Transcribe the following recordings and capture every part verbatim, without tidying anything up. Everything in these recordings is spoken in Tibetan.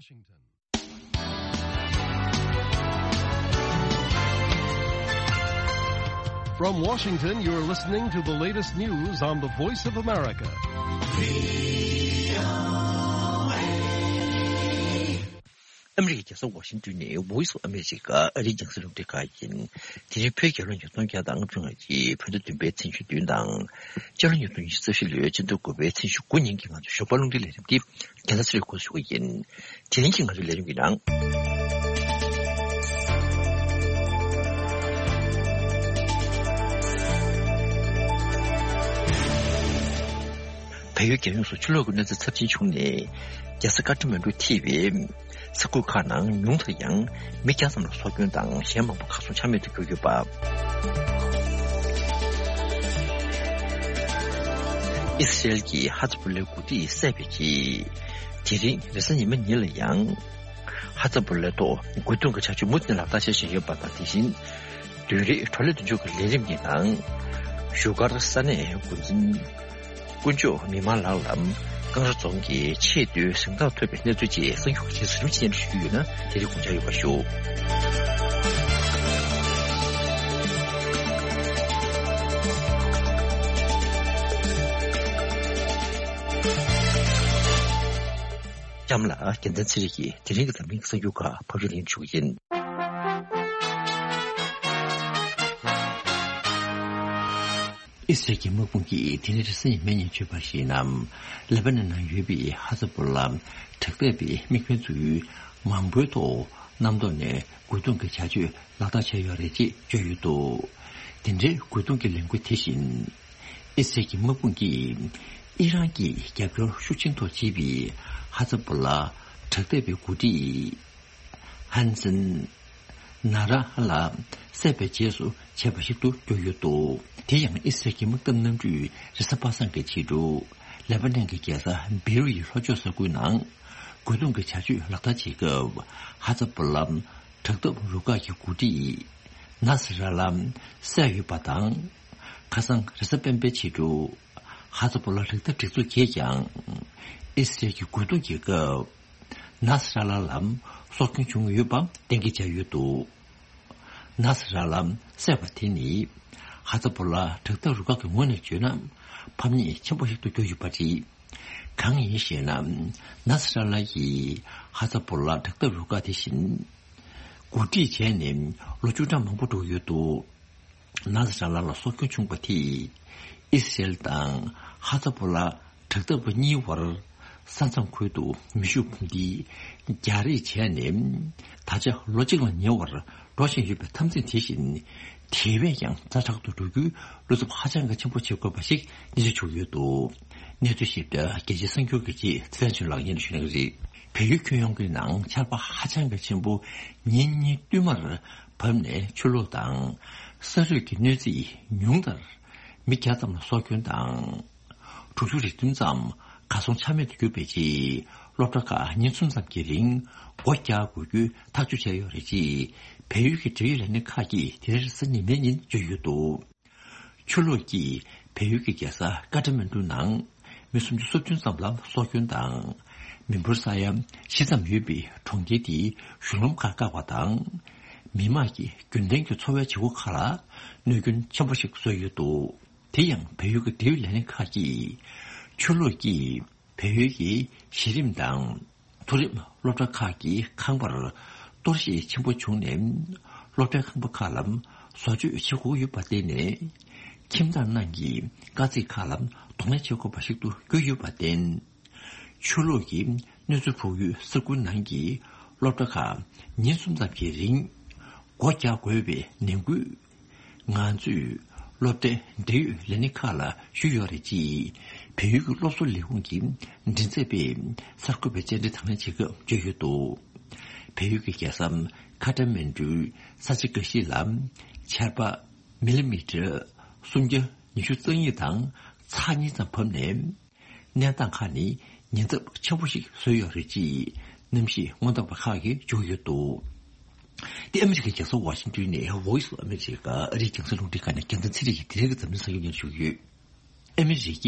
Washington. From Washington, you're listening to the latest news on the Voice of America. ཨ་མི་རི་ཀའི་རྒྱལ་ས་ཝ་ཤིང་ཏོན་ནས་Voice of America ཨ་རིའི་རྒྱང་སྲིང་རླུང་འཕྲིན་ཁང་ཡིན། དེ་རིང་བོད་རྒྱལ་ལོ་ཉིས་སྟོང་བརྒྱ་དང་ལྔ་བཅུ་ང་གཅིག་བོད་ཟླ་བདུན་པའི་ཚེས་ཉི་ཤུ་བདུན་དང་། ཕྱི་ལོ་ཉིས་སྟོང་ཉི་ཤུ་རྩ་བཞི་ལོའི་སྤྱི་ཟླ་དགུ་པའི་ཚེས་ཉི་ཤུ་དགུ་ཉིན་གྱི་ང་ཚོའི་ཞོགས་པ་རླུང་འཕྲིན་ལས་རིམ་འདི་རྒན་ལགས་ཚེ་རིང་འགོ་འཛུགས་ཀྱི་ཡིན། དེ་རིང་གི་ང་ཚོའི་ལས་རིམ་གྱི་ནང་། བལ་ཡུལ་རྒྱལ་ཡོངས་སུ་ཆུ་ལོག་གི་གནོད་འཚེ་ཚབས་ཆེན་བྱུང་ནས། རྒྱལ་ས་ཀ་ཐ་མན་གྲུ་ཐེ་བའི་ས་ཁུལ་ཁག་ནང་ཉུང་མཐར་ཡང་མི་བརྒྱ་ཙམ་ལ་སྲོག་སྐྱོན་དང་གཞན་མང་པོ་གར་སོང་ཆ་མེད་དུ་གྱུར་ཡོད་པ། ཨི་སི་རེལ་གྱིས་ཧ་ཛ་བུ་ལའི་འགོ་ཁྲིད་བསད་པའི་རྗེས། དེ་རིང་རེས་གཟའ་ཉི་མ་ཉིན་ལ་ཡང་། ཧ་ཛ་བུ་ལའི་ཐོག་རྒོལ་རྡུང་གི་བྱ་སྤྱོད་མུ་མཐུད་ནས་ལག་བསྟར་བྱེད་བཞིན་ཡོད་པ་དང་། དེ་བཞིན། བདུན་རེའི་བགྲོ་གླེང་མདུན་ལྕོག་གི་ལས་རིམ་གྱི་ནང་། བཞུགས་སྒར་ས་གནས་འགོ་འཛིན། དཀོན་མཆོག་མི་དམངས་ལགས་ལ་ཀང་ར་རྫོང་གི་ཆེས་མཐོའི་གཟེངས་རྟགས་ཐོབ་པའི་གནས་ཚུལ་བཅས་གསར་འགྱུར་ཁག་ཅིག་ཟུར་ཞུ་ཞུས་ཡོད་ན། དེ་རིང་དགོངས་འཇགས་ཡོད་པ་ཞུ། ལྕམ་ལགས་རྒྱལ་མཚན་ཚེ་རིང་གིས་དེ་རིང་གི་འཛམ་གླིང་གི་གསར་འགྱུར་ཁག་ཕབ་སྒྱུར་ལེན་ཞུ་གི་ཡིན། ཨི་སི་རལ་གྱི་དམག་དཔུང་གིས་དེ་རིང་རེས་གཟའ་ཉི་མའི་ཉིན་བརྗོད་པར་གཞིགས་ན། ལེ་པ་ནན་ནང་ཡོད་པའི་ཧ་ཛ་བུ་ལ་དྲག་འཐབ་པའི་དམིགས་འབེན་ཚོས་མང་པོའི་ཐོག་གནམ་ཐོག་ནས་རྒོལ་རྡུང་གི་བྱ་སྤྱོད་ལག་བསྟར་བྱས་ཡོད་རེད་ཅེས་བརྗོད་ཡོད་འདུག་དེ་འདྲའི་རྒོལ་རྡུང་གི་ལས་འགུལ་དེ་བཞིན། ཨི་སི་རལ་གྱི་དམག་དཔུང་གིས་ཨི་རན་གྱི་རྒྱབ་སྐྱོར་ཤུགས་ཆེན་ཐོག་བྱེད་པའི་ཧ་ཛ་བུ་ལ་དྲག་འཐབ་པའི་འགོ་ཁྲིད། ཧན་སན་ན་ར་ཧ་ལ་བསད་པའི་རྗེས་སུ་བྱས་པ་ཞིག་ཏུ་གྱུར་ཡོད་འདུག་དེ་ཡང་ཨི་སི་རལ་གྱི་དམག་འཐབ་གནམ་གྲུས་རེས་གཟའ་པ་སངས་ཀྱི་ཕྱི་དྲོ་ལེ་པ་ནན་གྱི་རྒྱལ་ས་བེ་རུ་ཡི་ལྷོ་ཕྱོགས་ས་ཁུལ་ནང་རྒོལ་རྡུང་གི་བྱ་སྤྱོད་ལག་བསྟར་བྱེད་སྐབས། ཧ་ཛ་བུ་ལ་དྲག་འཐབ་རུ་ཁག་གི་འགོ་ཁྲིད་ནཱ་སི་ར་ལ་བསད་ཡོད་པ་དང་། ཁ་སང་རེས་གཟའ་སྤེན་པའི་ཕྱི་དྲོ་ཧ་ཛ་བུ་ལ་དྲག་འཐབ་སྒྲིག་འཛུགས་ཀྱིས་ཀྱང་ཨི་སི་རལ་གྱི་རྒོལ་རྡུང་གི་སྐབས། ནཱ་སི་ར་ལ་ལ་སྲོག་སྐྱོན་བྱུང་ཡོད་པ་གཏན་འཁེལ་བྱས་ཡོད་འདུག་ནཱ་སི་ར་ལ་བསད་པ་དེ་ནི་ཧ་ཛ་བུ་ལ་དྲག་འཐབ་རུ་ཁག་གི་ངོས་ནས་བརྗོད་ན་ཕམ་ཉེས་ཆེན་པོ་ཞིག་ཏུ་གྱུར་ཡོད་པ་རེད། གང་ཡིན་ཞེ་ན། ནཱ་སི་ར་ལ་ཡིས་ཧ་ཛ་བུ་ལ་དྲག་འཐབ་རུ་ཁག་དེ་བཞིན་འགོ་ཁྲིད་བྱས་ནས་ལོ་བཅུ་ཕྲག་མང་པོ་འགྲོ་ཡོད་འདུག་ནཱ་སི་ར་ལ་ལ་སྲོག་སྐྱོན་བྱུང་བ་དེས་ཨི་སི་རེལ་དང་ཧ་ཛ་བུ་ལ་དྲག་འཐབ་པ་གཉིས་བར་ས་མཚམས་ཁུལ་དུ་མེ་ཤུགས་འཕུར་མདེལ་རྒྱག་རེས་བྱས་ནས་ད་ཆ་ལོ་གཅིག་ལ་ཉེ་བར་འགྲོ་བཞིན་ཡོད་པའི་འཐབ་འཛིང་དེ་བཞིན་དེ་བས་ཀྱང་ཛ་དྲག་ཏུ་འགྲོ་རྒྱུའི་བློ་འཚབ་ཧ་ཅང་གི་ཆེན་པོ་བྱེད་དགོས་པ་ཞིག་ཉིན་ཤས་བྱུང་ཡོད་འདུག་གནས་ཚུལ་ཞིབ་ཕྲ་རྒྱལ་སྤྱིའི་གསར་འགྱུར་གྱི་རྗེས་ཚེ་བརྟན་ཆོས་ལགས་སྙན་ཞུ་གནང་གི་རེད། བལ་ཡུལ་ཁྱོན་ཡོངས་ཀྱི་ནང་ཆར་པ་ཧ་ཅང་གི་ཆེན་པོ་ཉིན་གཉིས་བསྟུད་མར་བབས་ནས་ཆུ་ལོག་དང་ས་རུད་ཀྱི་གནོད་འཚེས་ཉུང་མཐར་མི་བརྒྱ་ཙམ་ལ་སྲོག་སྐྱོན་དང་། དྲུག་ཅུ་རེ་བདུན་ཙམ་གར་སོང་ཆ་མེད་དུ་གྱུར་པའི་རྗེས། སློབ་གྲྭ་ཁག་ཉིན་གསུམ་ཙམ་གྱི་རིང་སྒོ་རྒྱག་དགོས་རྒྱུའི་ཐག་གཅོད་བྱས་ཡོད་རེད་ཅེས་བལ་ཡུལ་གྱི་འབྲེལ་ཡོད་ལས་སྣེ་ཁག་གིས་དེ་རིང་རེས་གཟའ་ཉི་མའི་ཉིན་བརྗོད་ཡོད་འདུག་ཆུ་ལོག་གིས་བལ་ཡུལ་གྱི་རྒྱལ་ས་ཀ་ཐ་མན་གྲུ་ནང་མི་སུམ་ཅུ་སོ་བདུན་ཙམ་ལ་སྲོག་སྐྱོན་དང་། མི་འབོར་ས་ཡ་བཞི་ཙམ་ཡོད་པའི་གྲོང་ཁྱེར་དེའི་གཞུང་ལམ་ཁག་བཀག་པ་དང་། མི་མང་གི་རྒྱུན་ལྡན་གྱི་འཚོ་བའི་བྱེད་སྒོ་ཁག་ལ་གནོད་སྐྱོན་ཆེན་པོ་ཞིག་བཟོས་ཡོད་འདུག་དེ་ཡང་བལ་ཡུལ་གྱི་འབྲེལ་ཡོད་ལས་སྣེ་ཁག་གིས་ཆུ་ལོག་གིས་བལ་ཡུལ་གྱི་གཞི་རིམ་དང་མཐོ་རིམ་སློབ་གྲྭ་ཁག་གི་ཁང་པར་གཏོར་བཤིག་ཆེན་པོ་བྱུང་ནས། སློབ་གྲྭའི་ཁང་པ་ཁག་ལ་བཟོ་བཅོས་བྱེད་དགོས་ཡོད་པར་བརྟེན་ནས། ཁྱིམ་བདག་རྣམས་ཀྱིས་དཀའ་ཚེགས་ཁག་ལ་གདོང་ལེན་བྱེད་དགོས་པ་ཞིག་ཏུ་གྱུར་ཡོད་པར་བརྟེན། ཆུ་ལོག་གིས་གནོད་འཚེ་ཕོག་ཡུལ་ས་ཁུལ་ནང་གི་སློབ་གྲྭ་ཁག་ཉིན་གསུམ་ཙམ་གྱི་རིང་སྒོ་རྒྱག་དགོས་པའི་ནན་སྐུལ། ང་ཚོས་སློབ་གྲྭའི་འབྲེལ་ཡོད་ལས་སྣེ་ཁག་ལ་ཞུས་ཡོད་རེད་ཅེས་བལ་ཡུལ་གྱི་སློབ་གསོ་ལས་ཁུངས་ཀྱི་མགྲིན་ཚབ་པས་གསར་འགོད་པའི་བཅར་འདྲི་དང་ལེན་བྱེད་སྐབས་བརྗོད་ཡོད་འདུག་བལ་ཡུལ་གྱི་རྒྱལ་ས་ཁ་ཏ་མན་གྲུའི་ས་ཆ་འགའ་ཞིག་ལ་ཆར་པ་མི་ལི་མི་ཊར་སུམ་བརྒྱ་ཉི་ཤུ་རྩ་གཉིས་དང་ཚེག་གཉིས་ཙམ་བབས་ནས། གནས་སྟངས་ཁག་ནི་ཉེན་ཚབས་ཆེན་པོ་ཞིག་བཟོས་ཡོད་རེད་ཅེས་གནམ་གཤིས་སྔོན་བརྡ་པ་ཁག་གིས་བརྗོད་ཡོད་འདུག་དེ་ཨ་མི་རི་ཀའི་རྒྱལ་ས་ཝ་ཤིང་ཏོན་ནས་Voice of America ཨ་རིའི་རྒྱང་སྲིང་རླུང་འཕྲིན་ཁང་ནས་རྒྱལ་མཚན་ཚེ་རིང་གིས་དེ་རིང་གི་འཛམ་གླིང་གསར་འགྱུར་སྙན་ཞུ་གི་ཡོད། ཨ་མི་རི་ཀས་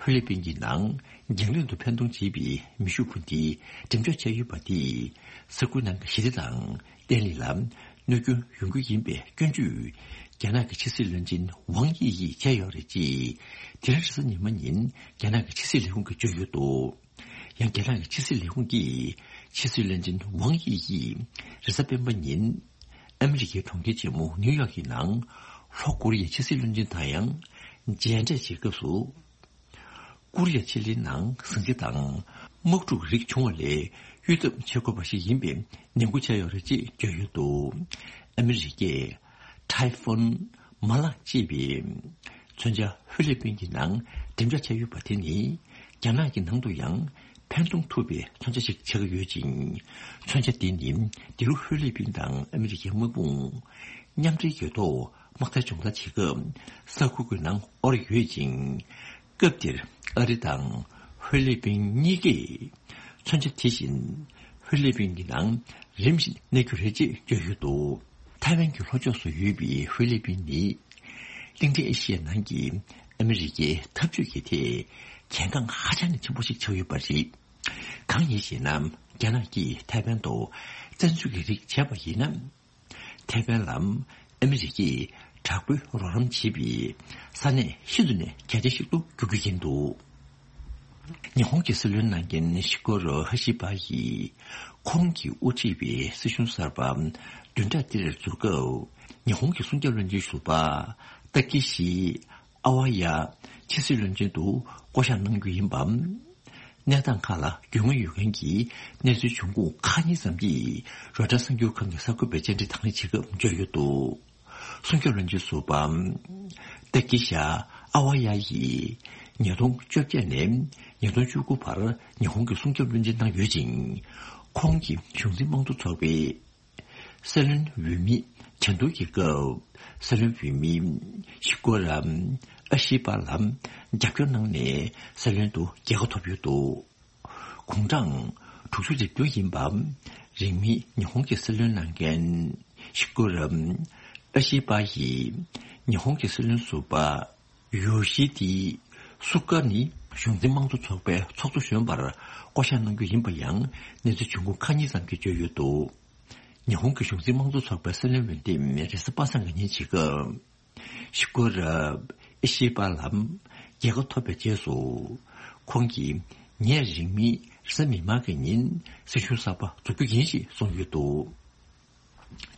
ཧྥི་ལི་པིན་གྱི་ནང་རྒྱང་རིང་དུ་འཕེན་གཏོང་བྱེད་པའི་མེ་ཤུགས་འཕུར་མདེལ་འགྲེམས་འཇོག་བྱས་ཡོད་པ་དེས་ས་ཁུལ་ནང་གི་ཞི་བདེ་དང་བརྟན་ལྷིང་ལ་གནོད་སྐྱོན་ཡོང་རྒྱུ་ཡིན་པའི་སྐྱོན་བརྗོད་རྒྱ་ནག་གི་ཕྱི་སྲིད་བློན་ཆེན་ཝང་དབྱི་ཡིས་བྱས་ཡོད་རེད་ཅེས་དེ་རིང་རེས་གཟའ་ཉི་མ་ཉིན་རྒྱ་ནག་གི་ཕྱི་སྲིད་ལས་ཁུངས་ཀྱིས་བརྗོད་ཡོད་འདུག་ཡང་རྒྱ་ནག་གི་ཕྱི་སྲིད་ལས་ཁུངས་ཀྱིས་ཕྱི་སྲིད་བློན་ཆེན་ཝང་དབྱི་ཡིས་རེས་གཟའ་སྤེན་པ་ཉིན་ཨ་མི་རི་ཀའི་གྲོང་ཁྱེར་ཆེན་མོ་ནིའུ་ཡོག་གི་ནང་ལྷོ་ཀོ་རི་ཡའི་ཕྱི་སྲིད་བློན་ཆེན་དང་ཡང་མཇལ་འཕྲད་བྱེད་སྐབས་སུ། ཀོ་རི་ཡ་ཕྱེད་ལེབ་ནང་ཟིང་ཆ་དང་དམག་འཁྲུག་རིགས་བྱུང་བ་ལས་གཡོལ་ཐབས་བྱེད་དགོས་པ་ཞིག་ཡིན་པའི་ནན་སྐུལ་བྱས་ཡོད་རེད་ཅེས་བརྗོད་ཡོད་འདུག་ཨ་མི་རི་ཀས་ཊའི་ཧྥུན་མ་ལག་ཅེས་པའི་མཚོན་ཆ་ཧྥི་ལི་པིན་གྱི་ནང་འགྲེམས་འཇོག་བྱས་ཡོད་པ་དེ་ནི་རྒྱ་ནག་གི་ནང་དུ་ཡང་འཕེན་གཏོང་ཐུབ་པའི་མཚོན་ཆ་ཞིག་ཆགས་ཀྱི་ཡོད་ཅིང་། མཚོན་ཆ་དེ་ནི་འདི་རུ་ཧྥི་ལི་པིན་དང་ཨ་མི་རི་ཀའི་དམག་དཔུང་མཉམ་འབྲེལ་གྱི་ཐོག་དམག་རྩལ་སྦྱོང་བརྡར་བྱེད་སྐབས་ས་ཁུལ་གྱི་ནང་དབོར་ཡོད་ཅིང་། སྐབས་དེར་ཨ་རི་དང་ཧྥི་ལི་པིན་གཉིས་ཀས་མཚོན་ཆ་དེ་བཞིན་ཧྥི་ལི་པིན་གྱི་ནང་རིམ་བཞིན་གནས་རྒྱུ་རེད་ཅེས་བརྗོད་ཡོད་འདུག་ཐའེ་ཝན་གྱི་ལྷོ་ཕྱོགས་སུ་ཡོད་པའི་ཧྥི་ལི་པིན་ནི་གླིང་ཕྲན་ཨེ་ཤི་ཡའི་ནང་གི་ཨ་མི་རི་ཀའི་འཐབ་ཇུས་ཀྱི་ཐད་གལ་འགངས་ཧ་ཅང་ནས་ཆེན་པོ་ཞིག་ཆགས་ཡོད་པ་རེད། གང་ཡིན་ཞེ་ན། རྒྱ་ནག་གིས་ཐའེ་ཝན་དུ་བཙན་འཛུལ་གྱི་རིགས་བྱས་པ་ཡིན་ན། ཐའེ་ཝན་ལ་ཨ་མི་རི་ཀས་དྲག་པོའི་རོགས་རམ་བྱེད་པའི་ས་གནས་ཤིན་ཏུ་ནས་གལ་ཆེ་ཞིག་ཏུ་འགྱུར་རྒྱུ་ཡིན་འདུག་ཉི་ཧོང་གི་སྲིད་བློན་གནང་མཁན་ཤི་ཀོ་རོ་ཧ་ཤི་པ་ཡིས་ཁོང་གིས་དབུ་ཁྲིད་པའི་སྲིད་གཞུང་གསར་པ་བདུན་ཕྲག་འདིར་འཛུགས་སྐབས་ཉི་ཧོང་གི་སྲུང་སྐྱོབ་བློན་ཆེན་ཟུར་པ་ཏཱ་ཀི་ཤི་ཨ་ཝ་ཡ་ཕྱི་སྲིད་བློན་ཆེན་དུ་བསྐོ་གཞག་གནང་རྒྱུ་ཡིན་པ། གནས་སྟངས་ཁག་ལ་རྒྱུས་མངའ་ཡོད་མཁན་གྱི་གནས་ཚུལ་འབྱུང་ཁུངས་ཁག་གཉིས་ཙམ་གྱིས་རོའི་ཊར་གསར་འགྱུར་ཁང་གི་གསར་འགོད་པའི་བཅར་འདྲི་དང་ལེན་བྱེད་སྐབས་བརྗོད་ཡོད་འདུག་སྲུང་སྐྱོབ་བློན་ཆེན་ཟུར་པ་ཏཱ་ཀི་ཤ་ཨ་ཝ་ཡ་ཡིས་ཉིས་སྟོང་བཅོ་བརྒྱད་ནས་ཉིས་སྟོང་བཅུ་དགུ་བར་ཉི་ཧོང་གི་སྲུང་སྐྱོབ་བློན་ཆེན་གནང་ཡོད་ཅིང་། ཁོང་གིས་གཞུང་འཛིན་དམངས་གཙོ་ཚོགས་པའི་སྲིད་བློན་འོས་མི་གྲལ་བསྡུར་གྱི་སྐབས་སྲིད་བློན་འོས་མི་ཤི་ཀོ་ར་ཨ་ཤི་པ་ལ་རྒྱབ་སྐྱོར་གནང་ནས་སྲིད་བློན་དུ་རྒྱལ་ཁ་ཐོབ་ཡོད་འདུག་གུང་གྲངས་དྲུག་ཅུ་རེ་བདུན་ཡིན་པ། རིང་མིན་ཉི་ཧོང་གི་སྲིད་བློན་གནང་མཁན་ཤི་ཀོ་ར་ཨ་ཤི་པ་ཡིས་ཉི་ཧོང་གི་སྲིད་བློན་ཟུར་པ་ཡོ་ཤི་དི་སུ་ཀ་ནི་གཞུང་འཛིན་དམངས་གཙོ་ཚོགས་པའི་ཚོགས་གཙོ་གཞོན་པར་བསྐོ་གཞག་གནང་རྒྱུ་ཡིན་པ་ཡང་གནས་ཚུལ་འབྱུང་ཁུངས་ཁག་གཉིས་ཙམ་གྱིས་བརྗོད་ཡོད་འདུག་ཉི་ཧོང་གི་གཞུང་འཛིན་དམངས་གཙོ་ཚོགས་པའི་སྲིད་བློན་འོས་འདེམས་རེས་གཟའ་པ་སངས་ཀྱི་ཉིན་བྱེད་སྐབས། ཤི་ཀོ་ར་ཨི་ཤི་པ་ལམ་རྒྱལ་ཁ་ཐོབ་པའི་རྗེས་སུ། ཁོང་གིས་ངས་རིང་མིན་རེས་གཟའ་མིག་དམར་གྱི་ཉིན་སྲིད་གཞུང་གསར་པ་འཛུགས་རྒྱུ་ཡིན་ཞེས་གསུངས་ཡོད་འདུག་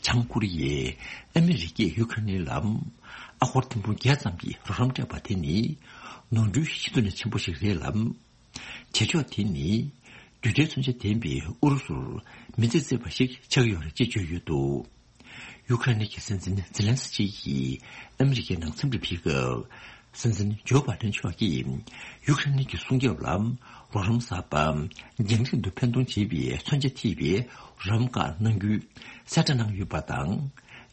བྱང་ཀོ་རི་ཡས་ཨ་མི་རི་ཀས་ཡུ་ཁ་རེན་ལ་ཨ་སྒོར་ཐེར་འབུམ་བརྒྱད་ཙམ་གྱི་རོགས་རམ་སྤྲད་པ་དེ་ནི་ནོར་འཁྲུལ་ཤིན་ཏུ་ནས་ཆེན་པོ་ཞིག་རེད་ལ། བྱེད་ཕྱོགས་དེ་ནི་རྡུལ་ཕྲན་མཚོན་ཆ་ལྡན་པའི་ཨུ་རུ་སུར་མི་ཚེ་བརྩིས་པ་ཞིག་ཆགས་ཡོད་རེད་ཅེས་བརྗོད་ཡོད་འདུག་ཡུ་ཁ་རེན་གྱི་སྲིད་འཛིན་ཛེ་ལན་སི་ཀི་ཡིས་ཨ་མི་རི་ཀའི་ནང་འཚམས་འདྲི་ཕུལ་སྐབས། སྲིད་འཛིན་ཇོ་བྷའི་ཌེན་མཆོག་གིས་ཡུ་ཁ་རེན་གྱི་སྲུང་སྐྱོབ་ལ་རོགས་རམ་གསར་པ་རྒྱང་རིང་དུ་འཕེན་གཏོང་བྱེད་པའི་མཚོན་ཆ་ཐེབས་པའི་རམ་ཁ་གནང་རྒྱུའི་གསལ་བསྒྲགས་གནང་ཡོད་པ་དང་།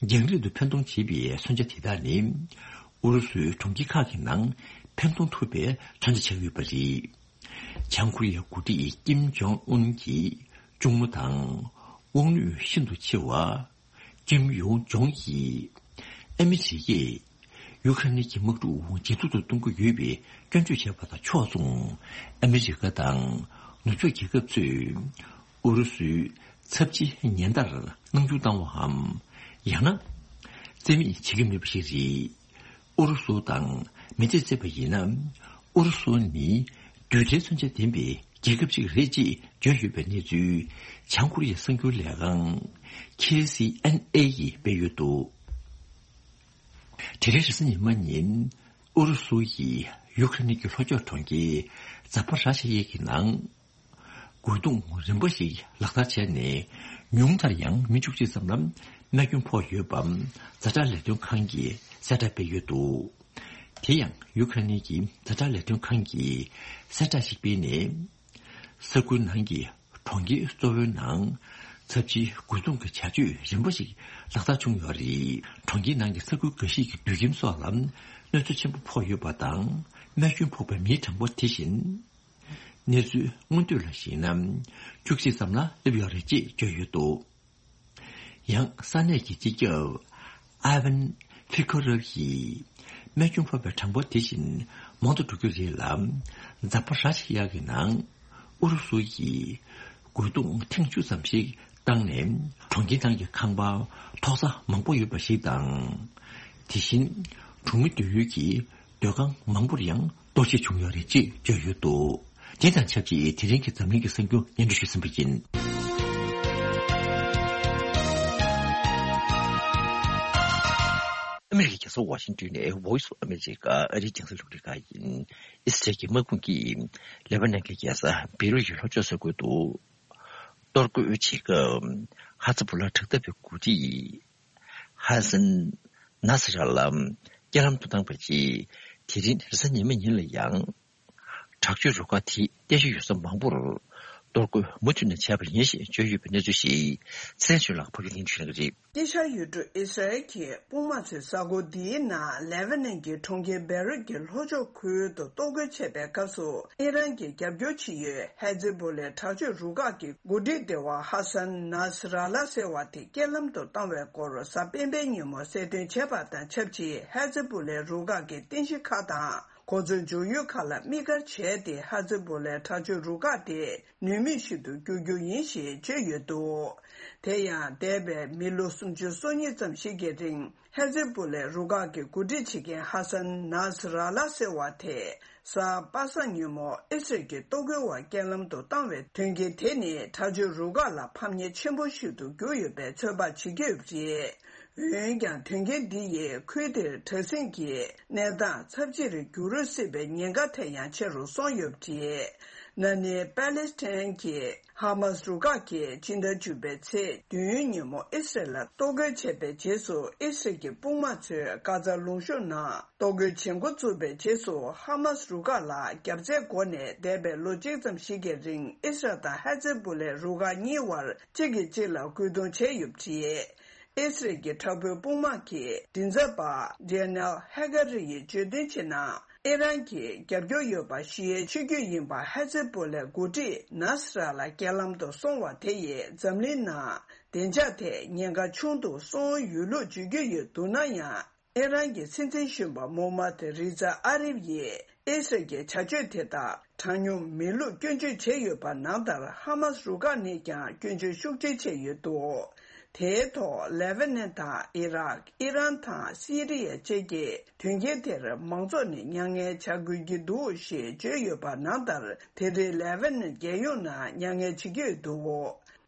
རྒྱང་རིང་དུ་འཕེན་གཏོང་བྱེད་པའི་མཚོན་ཆ་དེ་དག་ནི་ཨུ་རུ་སུའི་གྲོང་ཁྱེར་ཁག་གི་ནང་འཕེན་གཏོང་ཐུབ་པའི་མཚོན་ཆ་ཆགས་ཡོད་པ་རེད། བྱང་ཀོ་རི་ཡའི་འགོ་ཁྲིད་ཀིམ་ཇོང་ཨུན་གྱི་གཅུང་མོ་དང་། དབང་ནུས་ཤིན་ཏུ་ཆེ་བ། ཀིམ་ཡོང་ཇོང་གིས། ཨ་མི་རི་ཀས་ཡུ་ཁ་རེན་གྱི་དམག་འཁྲུག་ཇེ་སྡུག་ཏུ་གཏོང་གི་ཡོད་པའི་སྐྱོན་བརྗོད་བྱས་པ་དང་ཕྱོགས་མཚུངས། ཨ་མི་རི་ཀ་དང་ནུབ་ཕྱོགས་རྒྱལ་ཁབ་ཚོས་ཨུ་རུ་སུའི་ཚབས་ཆེའི་ཉེན་བརྡར་སྣང་ཆུང་བཏང་བའམ། ཡང་ན། རྩིས་མེད་བྱེད་ཀྱི་མེད་པ་ཞིག་རེད། ཨུ་རུ་སུ་དང་མི་ཐེ་བརྩེ་བ་ཡིན་ན། ཨུ་རུ་སུ་ནི་རྡུལ་ཕྲན་མཚོན་ཆ་ལྡན་པའི་རྒྱལ་ཁབ་ཅིག་རེད་ཅེས་བརྗོད་ཡོད་པའི་གནས་ཚུལ་བྱང་ཀོ་རི་ཡའི་གསར་འགྱུར་ལས་ཁང་ཁེ་སི་ཨེན་ཨེ་ཡིས་སྤེལ་ཡོད་འདུག་དེ་རིང་རེས་གཟའ་ཉི་མ་ཉིན་ཨུ་རུ་སུ་ཡིས་ཡུ་ཁ་རེན་གྱི་ལྷོ་ཕྱོགས་གྲོང་ཁྱེར་ཛ་པ་ར་ཤ་ཡེ་གི་ནང་། རྒོལ་རྡུང་རིམ་པ་ཞིག་ལག་བསྟར་བྱས་ནས། ཉུང་མཐར་ཡང་མི་བཅུ་གཅིག་ཙམ་ལ་རྨས་སྐྱོན་ཕོག་ཡོད་པ། ཛ་དྲག་ལས་དོན་ཁང་གིས་གསལ་བསྒྲགས་སྤེལ་ཡོད་འདུག་དེ་ཡང་ཡུ་ཁ་རེན་གྱི་ཛ་དྲག་ལས་དོན་ཁང་གིས་གསལ་བསྒྲགས་ཤིག་སྤེལ་ནས། ས་ཁུལ་ནང་གི་གྲོང་ཁྱེར་གཙོ་བོའི་ནང་ཚབས་ཆེའི་རྒོལ་རྡུང་གི་བྱ་སྤྱོད་རིམ་པ་ཞིག་ལག་བསྟར་བྱུང་ཡོད་རེད། གྲོང་ཁྱེར་ནང་གི་ས་ཁུལ་འགའ་ཤས་ཀྱི་སྡོད་ཁྱིམ་སོགས་ལ་གནོད་འཚེ་ཆེན་པོ་ཕོག་ཡོད་པ་དང་། རྨས་སྐྱོན་ཕོག་པའི་མིའི་གྲངས་འབོར་དེ་བཞིན། གནས་ཚུལ་སྔོན་ཐོན་ལ་གཞིགས་ན། བཅུ་གཅིག་ཙམ་ལ་སླེབས་ཡོད་རེད་ཅེས་བརྗོད་ཡོད་འདུག་ཡང་ས་གནས་ཀྱི་སྤྱི་ཁྱབ་ཨ་ཝན་ཕི་ཁོ་རབ་ཡིས་རྨས་སྐྱོན་ཕོག་པའི་གྲངས་འབོར་དེ་བཞིན་ མང་དུ་འགྲོ་རྒྱུ་རེད་ལ། འཛམ་བུ་ར་ཤི་ཡ་གི་ནང་ཨུ་རུ་སུ་ཡིས་རྒོལ་རྡུང་ཐེངས་བཅུ་ཙམ་ཞིག་བཏང་ནས། གྲོང་ཁྱེར་ནང་གི་ཁང་པ་ཐོག་ས་མང་པོ་ཡོད་པ་ཞིག་དང་། དེ་བཞིན་གྲོང་མི་སྡོད་ཡུལ་གྱི་སྡོད་ཁང་མང་པོར་ཡང་གཏོར་བཤིག་བྱུང་ཡོད་རེད་ཅེས་བརྗོད་ཡོད་འདུག་དེ་དང་ཆབས་ཅིག་དེ་རིང་གི་འཛམ་གླིང་གི་གསར་འགྱུར་སྙན་སྒྲོན་ཞུ་བསམ་པ་ཡིན། ཨ་མི་རི་ཀའི་རྒྱལ་ས་ཝ་ཤིང་ཏོན་ནས་Voice of America ཨ་རིའི་རྒྱང་སྲིང་རླུང་འཕྲིན་ཁང་ཡིན། ཨི་སི་རལ་གྱི་དམག་དཔུང་གིས་ལེ་བྷ་ནན་གྱི་རྒྱལ་ས་བེ་རུད་ཀྱི་ལྷོ་ཕྱོགས་ས་ཁུལ་དུ་གཏོར་རྒོལ་བྱེད་སྐབས། ཧ་ཛི་བུ་ལ་དྲག་འཐབ་པའི་འགོ་ཁྲིད་ཧ་སན་ནཱ་སི་ར་ལ་རྐྱེན་ལམ་དུ་བཏང་བའི་རྗེས། དེ་རིང་རེས་གཟའ་ཉི་མའི་ཉིན་ལ་ཡང་། དྲག་སྤྱོད་རུ་ཁག་དེས་རྟེན་གཞི་ཡོད་ས་མང་པོར་གཏོར་རྒོལ་མུ་མཐུད་ནས་བྱས་པ་ཡིན་ཞེས་བརྗོད་ཡོད་པའི་གནས་ཚུལ་ཞིག་ཚེ་རིང་ཆོས་ལགས་ཕབ་སྒྱུར་གནང་ཞུ་གནང་གི་རེད། དཀྱིལ་ཤར་ཡུལ་གྲུ་ཨི་སི་རལ་གྱི་དཔུང་དམག་ཚོས་གཟའ་འཁོར་འདིའི་ནང་ལེ་བྷ་ནན་གྱི་གྲོང་ཁྱེར་བེ་རུད་ཀྱི་ལྷོ་ཕྱོགས་ཁུལ་དུ་གཏོར་རྒོལ་བྱས་པའི་སྐབས་སུ། ཨི་རན་གྱི་རྒྱབ་སྐྱོར་བྱེད་ཡུལ་ཧེ་ཛི་བུ་ལའི་དྲག་སྤྱོད་རུ་ཁག་གི་འགོ་ཁྲིད་སྡེ་བ་ཧ་སན་ནཱ་སི་ར་ལ་ཟེར་བ་དེ་རྐྱེན་ལམ་དུ་བཏང་བའི་སྐོར་གཟའ་སྤེན་པའི་ཉིན་མོ་གསལ་སྟོན་བྱས་པ་དང་ཆབས་ཅིག་ཧེ་ཛི་བུ་ལའི་རུ་ཁག་གི་རྟེན་གཞི་ཁག་དང་། གོ་མཚོན་འཇོག་ཡུལ་ཁག་ལ་དམིགས་བཀར་བྱས་ཏེ། ཧ་ཛི་བུ་ལའི་དྲག་སྤྱོད་རུ་ཁག་དེ་ནུས་མེད་ཞིག་ཏུ་འགྱུར་རྒྱུ་ཡིན་ཞེས་བརྗོད་ཡོད་འདུག་དེ་ཡང་། འདས་པའི་མི་ལོ་སུམ་ཅུ་སོ་གཉིས་ཙམ་ཞིག་གི་རིང་། ཧ་ཛི་བུ་ལའི་རུ་ཁག་གི་འགོ་ཁྲིད་བྱེད་མཁན་ཧ་སན་ནཱ་སི་ར་ལ་ཟེར་བ་དེ། གཟའ་པ་སངས་ཉིན་མོ་ཨི་སི་རལ་གྱི་གཏོར་རྒོལ་བ་རྐྱེན་ལམ་དུ་བཏང་བའི་དོན་རྐྱེན་དེ་ནི། དྲག་སྤྱོད་རུ་ཁག་ལ་ཕམ་ཉེས་ཆེན་པོ་ཞིག་ཏུ་གྱུར་ཡོད་པའི་ཚོད་དཔག་བྱེད་ཀྱི་ཡོད་པ་རེད། འོན་ཀྱང་། དོན་རྐྱེན་འདི་ཡིས་ཁུལ་དེར་དྲག་ཟིང་གི་གནས་སྟངས་ཚབས་ཆེར་འགྱུར་སྲིད་པའི་ཉེན་ཁ་དེ་ཡང་ཆེ་རུ་སོང་ཡོད་པ་རེད། ན་ནིང་པ་ལེ་སི་ཐན་གྱི་ཧ་མཱ་སི་རུ་ཁག་གིས་སྤྱི་ཟླ་བཅུ་པའི་ཚེས་བདུན་ཉིན་མོ་ཨི་སི་རལ་ལ་གཏོར་རྒོལ་བྱས་པའི་རྗེས་སུ། ཨི་སི་རལ་གྱི་དཔུང་དམག་ཚོས་གྷ་ཛ་ལུང་གཤོང་ནང་གཏོར་རྒོལ་བྱེད་འགོ་བཙུགས་པའི་རྗེས་སུ། ཧ་མཱ་སི་རུ་ཁག་ལ་རྒྱབ་རྩའི་སྒོ་ནས་འདས་པའི་ལོ་གཅིག་ཙམ་ཞིག་གི་རིང་ཨི་སི་རལ་དང་ཧ་ཛི་བུ་ལའི་རུ་ཁག་གཉིས་བར་གཅིག་གིས་གཅིག་ལ་རྒོལ་རྡུང་བྱས་ཡོད་པ་རེད། ཨི་སི་རལ་གྱི་དྲག་པོའི་དཔུང་དམག་གི་མགྲིན་ཚབ་པ་ཌེ་ནེལ་ཧེ་ཀ་རི་ཡིས་བརྗོད་དོན་བྱས་ན། ཨི་རན་གྱི་རྒྱབ་སྐྱོར་ཡོད་པ་ཞི་ཡའི་ཆོས་བརྒྱུད་ཡིན་པ་ཧ་ཛི་བུ་ལའི་འགོ་ཁྲིད་ནཱ་སི་ར་ལ་རྐྱེན་ལམ་དུ་སོང་བ་དེ་ཡིས་འཛམ་གླིང་ནང་བདེ་འཇགས་ཐད་ཉེན་ཁ་ཆུང་དུ་སོང་ཡོད་ལུགས་བརྗོད་ཀྱི་ཡོད་འདུག་ན་ཡང་། ཨི་རན་གྱི་སྲིད་འཛིན་གཞོན་པ་མོ་མད་རི་ཛ་ཨ་རིབ་ཡིས་ཨི་སི་རལ་གྱི་བྱ་སྤྱོད་དེ་དག་གྲངས་ཉུང་མི་ལུགས་སྐྱོན་བརྗོད་བྱས་ཡོད་པ་ནང་ལྟར། ཧ་མཱ་སི་རུ་ཁག་ནས་ཀྱང་སྐྱོན་བརྗོད་ཤུགས་ཆེ་བྱས་ཡོད་འདུག་དེའི་ཐོག་ལེ་བྷ་ནན་དང་ཨི་རག་ཨི་རན་དང་སི་རི་ཡ་བཅས་ཀྱིས་དོན་རྐྱེན་དེར་མང་ཚོགས་ནས་མྱ་ངན་བྱ་དགོས་ཀྱི་འདུག་ཞེས་བརྗོད་ཡོད་པ་ནང་ལྟར། དེ་རིང་ལེ་བྷ་ནན་རྒྱལ་ཡོངས་ནང་མྱ་ངན་བྱེད་ཀྱི་ཡོད་འདུག་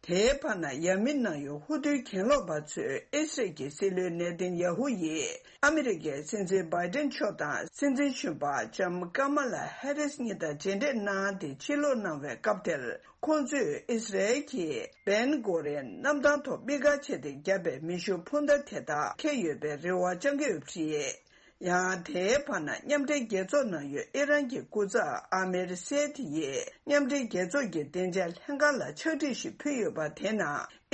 དེའི་བར་ན། ཡ་མི་ནང་ཡོད་ཧུ་ཐུའི་གྱེན་ལོག་པ་ཚོས་ཨི་སི་རལ་གྱི་སྲིད་བློན་ནེ་ཐན་ཡ་ཧུ་ཡིས་ཨ་མི་རི་ཀའི་སྲིད་འཛིན་བྷའི་ཏན་མཆོག་དང་སྲིད་འཛིན་གཞོན་པ་ལྕམ་ཀ་མ་ལ་ཧེ་རིས་གཉིས་དང་མཇལ་འཕྲད་གནང་སྟེ་ཕྱིར་ལོག་གནང་བའི་སྐབས་དེར། ཁོང་ཚོས་ཨི་སི་རལ་གྱི་བན་གོ་རེན་གནམ་ཐང་ཐོག་དམིགས་བཀར་བྱས་ཏེ་བརྒྱབ་པའི་མེ་ཤུགས་འཕུར་མདའ་དེ་དག་འཁྱེར་ཡོད་པའི་རེ་བ་བཅང་གི་ཡོད་པ་རེད། ཡང་། དེའི་བར་ན། མཉམ་འབྲེལ་རྒྱལ་ཚོགས་ནང་ཡོད་ཨི་རན་གྱི་སྐུ་ཚབ་ཨ་མེར་སེ་ཐི་ཡིས། མཉམ་འབྲེལ་རྒྱལ་ཚོགས་ཀྱི་བདེ་འཇགས་ལྷན་ཁང་ལ་ཕྱག་བྲིས་ཤིག་ཕུལ་ཡོད་པ་དེ་ནང་།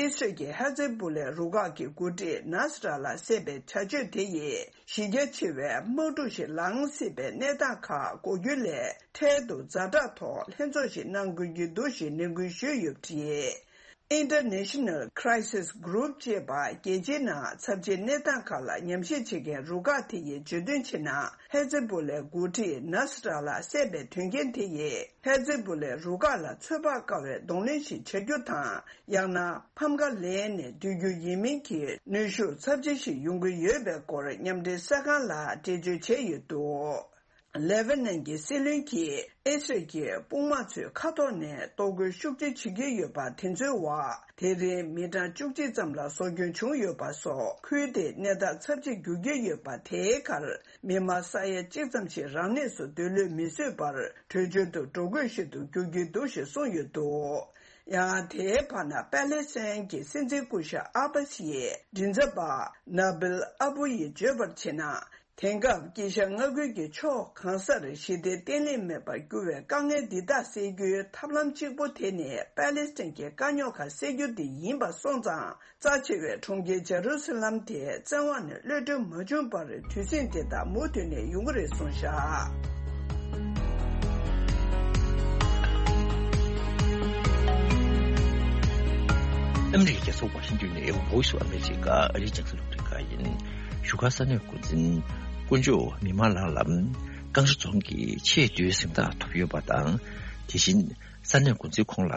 ཨི་སི་རལ་གྱིས་ཧ་ཛི་བུ་ལའི་རུ་ཁག་གི་འགོ་ཁྲིད་ནཱ་སི་ར་ལ་བསད་པའི་བྱ་སྤྱོད་དེ་ཡིས། གཞི་རྒྱ་ཆེ་བའི་དམག་འཁྲུག་ཞིག་ལངས་སྲིད་པའི་གནས་སྟངས་ཁག་འགོག་རྒྱུ་ལས། འཕྲལ་དུ་ཛ་དྲག་ཐོག་ལྷན་ཚོགས་ཤིག་གནང་དགོས་ཀྱི་འདུག་ཞེས་ནན་སྐུལ་ཞུས་ཡོད་པ་རེད། International Crisis Group ཅེས་པ། རྒྱལ་སྤྱིའི་ནང་ཚབས་ཆེའི་གནས་སྟངས་ཁག་ལ་ཉམས་ཞིབ་བྱེད་མཁན་རུ་ཁག་དེ་ཡིས་བརྗོད་དོན་བྱས་ན། ཧེ་ཛི་བུ་ལའི་འགོ་ཁྲིད་ནཱ་སི་ར་ལ་བསད་པའི་དོན་རྐྱེན་དེ་ཡིས། ཧེ་ཛི་བུ་ལའི་རུ་ཁག་ལ་ཚོད་དཔག་དཀའ་བའི་གདོང་ལེན་ཞིག་བྱ་རྒྱུ་དང་། ཡང་ན། ཕམ་ཁ་ལེན་ནས་སྡོད་རྒྱུ་ཡིན་མིན་གྱི་གནོན་ཤུགས་ཚབས་ཆེ་ཞིག་ཡོང་གི་ཡོད་པའི་སྐོར། མཉམ་འབྲེལ་གསར་ཁང་ལ་འགྲེལ་བརྗོད་བྱས་ཡོད་འདུག་ལེ་བྷ་ནན་གྱི་སྲིད་བློན་གྱིས་ཨི་སི་རལ་གྱི་དཔུང་དམག་ཚོས་མཁའ་ཐོག་ནས་གཏོར་རྒོལ་ཤུགས་ཆེ་བྱེད་ཀྱི་ཡོད་པ་དེ་ཚོའི་འོག་དེ་རིང་མི་གྲངས་བཅུ་གཅིག་ཙམ་ལ་སྲོག་སྐྱོན་བྱུང་ཡོད་པ་སོགས། ཁུལ་དེའི་གནས་སྟངས་ཚབས་ཆེར་འགྱུར་གྱི་ཡོད་པ་དེའི་ཁར། མི་མང་ས་ཡ་གཅིག་ཙམ་ཞིག་རང་གནས་སུ་སྡོད་ལོས་མི་བཟོད་པར། བྲོས་བྱོལ་དུ་འགྲོ་དགོས་ཤིག་ཏུ་འགྱུར་གྱི་འདུག་ཞེས་གསུངས་ཡོད་འདུག་ཡང་། དེའི་བར་ན། པ་ལེ་སི་ཐན་གྱི་སྲིད་འཛིན་སྐུ་ཞབས་ཨ་བྷ་སི་ཡི་མགྲིན་ཚབ་པ་ན་བིལ་ཨ་བུ་ཡིས་བརྗོད་པར་བྱས་ན། དེང་སྐབས་དཀྱིལ་ཤར་མངའ་ཁུལ་གྱི་ཕྱོགས་གང་སར་ཞི་བདེ་བརྟན་ལྷིང་མེད་པར་གྱུར་བའི་དཀའ་ངལ་འདི་དག་སེལ་རྒྱུའི་ཐབས་ལམ་གཅིག་པུ་དེ་ནི་པ་ལེ་སི་ཐན་གྱི་དཀའ་རྙོག་ཁག་སེལ་རྒྱུ་དེ་ཡིན་པ་སོང་ཙང་། རྩ་ཆེ་བའི་གྲོང་ཁྱེར་ཇེ་རུ་སི་ལམ་དེ་བཙན་དབང་ནས་གློད་གྲོལ་མ་བྱུང་བར། དུས་ཟིང་དེ་དག་མུ་མཐུད་ནས་ཡོང་གི་རེད་གསུངས་བཞག་ཨ་མི་རི་ཀའི་རྒྱལ་ས་ཝ་ཤིང་ཏོན་ནས་Voice of America ཨ་རིའི་རྒྱང་སྲིང་རླུང་འཕྲིན་ཁང་ཡིན། བཞུགས་སྒར་ས་གནས་འགོ་འཛིན་དཀོན་མཆོག་མི་དམངས་ལགས་ལ། ཀང་ར་རྫོང་གི་ཆེས་མཐོའི་གཟེངས་རྟགས་ཐོབ་ཡོད་པ་དང་། དེ་བཞིན་ས་གནས་འགོ་འཛིན་ཁོང་ལ་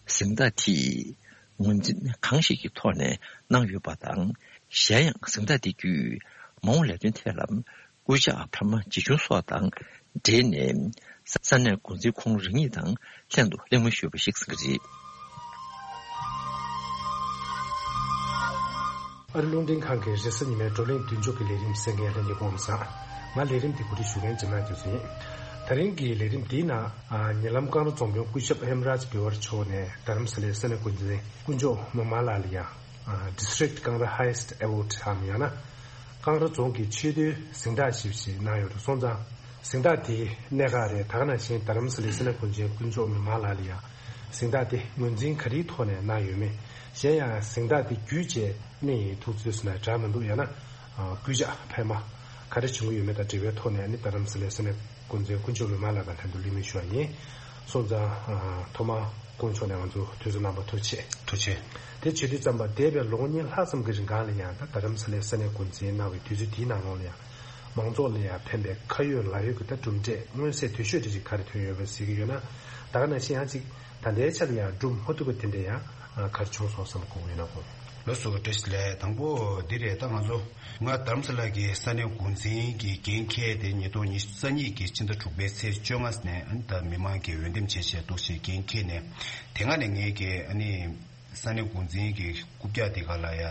གཟེངས་རྟགས་དེ་ངོས་འཛིན་གང་ཞིག་གི་ཐོག་ནས་གནང་ཡོད་པ་དང་། གཞན་ཡང་གཟེངས་རྟགས་དེ་བརྒྱུད་མ་འོངས་ལས་དོན་ཐད་ལ་སྐུལ་ལྕག་འཕར་མ་ཇི་བྱུང་སོགས་དང་འབྲེལ་ནས། ས་གནས་འགོ་འཛིན་ཁོང་རང་ཉིད་དང་ལྷན་དུ་གླེང་མོལ་ཞུས་པ་ཞིག་གསུངས་ཀྱི་རེད། ཨ་རི་རླུང་འཕྲིན་ཁང་གི་རེས་གཟའ་ཉི་མའི་བགྲོ་གླེང་མདུན་ལྕོག་གི་ལས་རིམ་གསན་མཁན་ལྷན་རྒྱས་སྐུ་ཁམས་བཟང་། ང་ལས་རིམ་འདི་གོ་སྒྲིག་ཞུ་མཁན་འཇམ་དབྱངས་རྒྱ་མཚོ་ཡིན། ད་རིང་གི་ལས་རིམ་འདིའི་ནང་། ཨ། ཉེ་ལམ་ཀང་ར་རྫོང་དཔོན་སྐུ་ཞབས་ཧེམ་རཱཇ་བྷི་ཝར་མཆོག་ནས་རྡ་རམ་ས་ལའི་ས་གནས་འགོ་འཛིན་དཀོན་མཆོག་མི་དམངས་ལགས་ལ་ཡང་། ཨ། District Kangra Highest Award འམ་ཡང་ན། ཀང་ར་རྫོང་གི་ཆེས་མཐོའི་གཟེངས་རྟགས་ཞེས་པ་ཞིག་གནང་ཡོད་འདུག་སོང་ཙང་། གཟེངས་རྟགས་དེའི་གནད་འགག་རེད། ད་ག་ནང་བཞིན་རྡ་རམ་ས་ལའི་ས་གནས་འགོ་འཛིན་དཀོན་མཆོག་མི་དམངས་ལགས་ལ་ཡང་གཟེངས་རྟགས་དེ་ངོས་འཛིན་ག་རེའི་ཐོག་ནས་གནང་ཡོད་མེད། གཞན་ཡང་གཟེངས་རྟགས་དེ་བརྒྱུད་བྱས་ནི་ཐུགས་བརྩེ་ཟེར་ན་འདྲ་མི་འདུག་ཡང་ན། ཨ། སྐུལ་ལྕག་འཕར་མ་ག་རེ་བྱུང་གི་ཡོད་མེད་དང་འབྲེལ་བའི་ཐོག་ནས་ནི་རྡ་རམ་ས་ལའི་ས་གནས་འགོ་འཛིན་དཀོན་མཆོག་མི་དམངས་ལགས་དང་ལྷན་དུ་གླེང་མོལ་ཞུ་བ་ཡིན། སོང་ཙང་། ཨ། ཐོག་མར་དཀོན་མཆོག་ནས་ང་ཚོ་དུས་ཚོད་གནང་བར་ཐུགས་རྗེ་ཆེ། ཐུགས་རྗེ་ཆེ། དེ་བྱེད་དུས་ཙམ་པ་འདས་པའི་ལོ་ངོ་ཉིས་ལྷག་ཙམ་གྱི་རིང་གང་ལ་ཡང་ད་རྡ་རམ་ས་ལའི་ས་གནས་འགོ་འཛིན་གནང་བའི་དུས་ཚོད་དེའི་ནང་ལོགས་ལ་ཡང་མང་ཚོགས་ལ་ཡང་ཕན་པའི་ཁ་ཡོད་ལག་ཡོད་ཀྱི་ད་གྲུབ་འབྲས་མངོན་གསལ་དོད་ཤོས་དེ་ཅིག་ག་རེ་ཐོན་ཡོད་པ་གཟིགས་ཀྱི་ཡོད་ན། ད་ག་ནང་བཞིན་ཡང་ཅིག་ད་ལྟའི་ཆ་ལ་ཡང་སྒྲུབ་མ་ཐུབ་པ་དེ་འདྲ་ཡང་ག་རེ་བྱུང་སོང་བསམ་དགོངས་ཡོད་ན་དགོངས། ལགས་སོ། བཀྲ་ཤིས་བདེ་ལེགས། དང་པོ་འདི་རེད། ད་ང་ཚོ་ང་རྡ་རམ་ས་ལ་གི་ས་གནས་འགོ་འཛིན་གྱི་འགན་འཁྱེར་དེ་ཉིས་སྟོང་ཉི་ཤུ་རྩ་གཉིས་ཀྱི་ཕྱི་ཟླ་དྲུག་པའི་ཚེས་བཅོ་ལྔ་ནས་ད་མི་མང་གི་འོས་འདེམས་བྱས་བྱས་འདུག་ཅེས་འགན་འཁྱེར་ནས། དེ་སྔ་ནས་ངས་ཀྱི་ཨ་ནི་ས་གནས་འགོ་འཛིན་གྱི་རྐུབ་བཀྱག་དེ་ག་ལ་ཡ་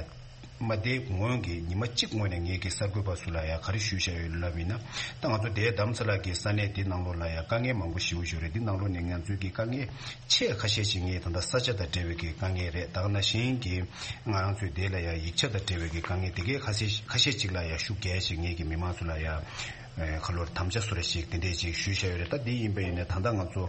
མ་བསྡད་སྔོན་གྱི་ཉི་མ་གཅིག་སྔོན་ནས་ངས་ཀྱི་གསར་འགོད་པ་ཚོ་ལ་ཡ་ག་རེ་ཞུས་བཞག་ཡོད་ལབ་ཡིན་ན། ད་ང་ཚོ་དེའི་རྡ་རམ་ས་ལ་གི་ས་གནས་འདི་ནང་ལོགས་ལ་ཡ་དཀའ་ངལ་མང་པོ་ཞེ་པོ་ཞིག་རེད། འདི་ནང་ལོགས་ནས་ང་ཚོའི་གི་དཀའ་ངལ་ཆེས་ཁ་ཤས་ཤིག་ངས་ད་ལྟ་ས་ཆ་དང་འབྲེལ་བའི་གི་དཀའ་ངལ་རེད། ད་ག་ནང་བཞིན་གྱི་ང་རང་ཚོའི་དེ་ལ་ཡ་ཡིག་ཆ་དང་འབྲེལ་བའི་གི་དཀའ་ངལ་དེ་གའི་ཁ་ཤས་ཁ་ཤས་ཅིག་ལ་ཡ་ཤུགས་རྒྱས་ཤིག་ངས་ཀྱི་མི་མང་ཚོ་ལ་ཡ་ཁ་ལོར་དམ་བཅའ་བཟོ་འདྲ་ཞིག་དེ་འདྲས་ཅིག་ཞུས་བཞག་ཡོད་རེད། ད་འདི་ཡིན་པ་ཡིན་ནའི་ད་ལྟ་ང་ཚོ་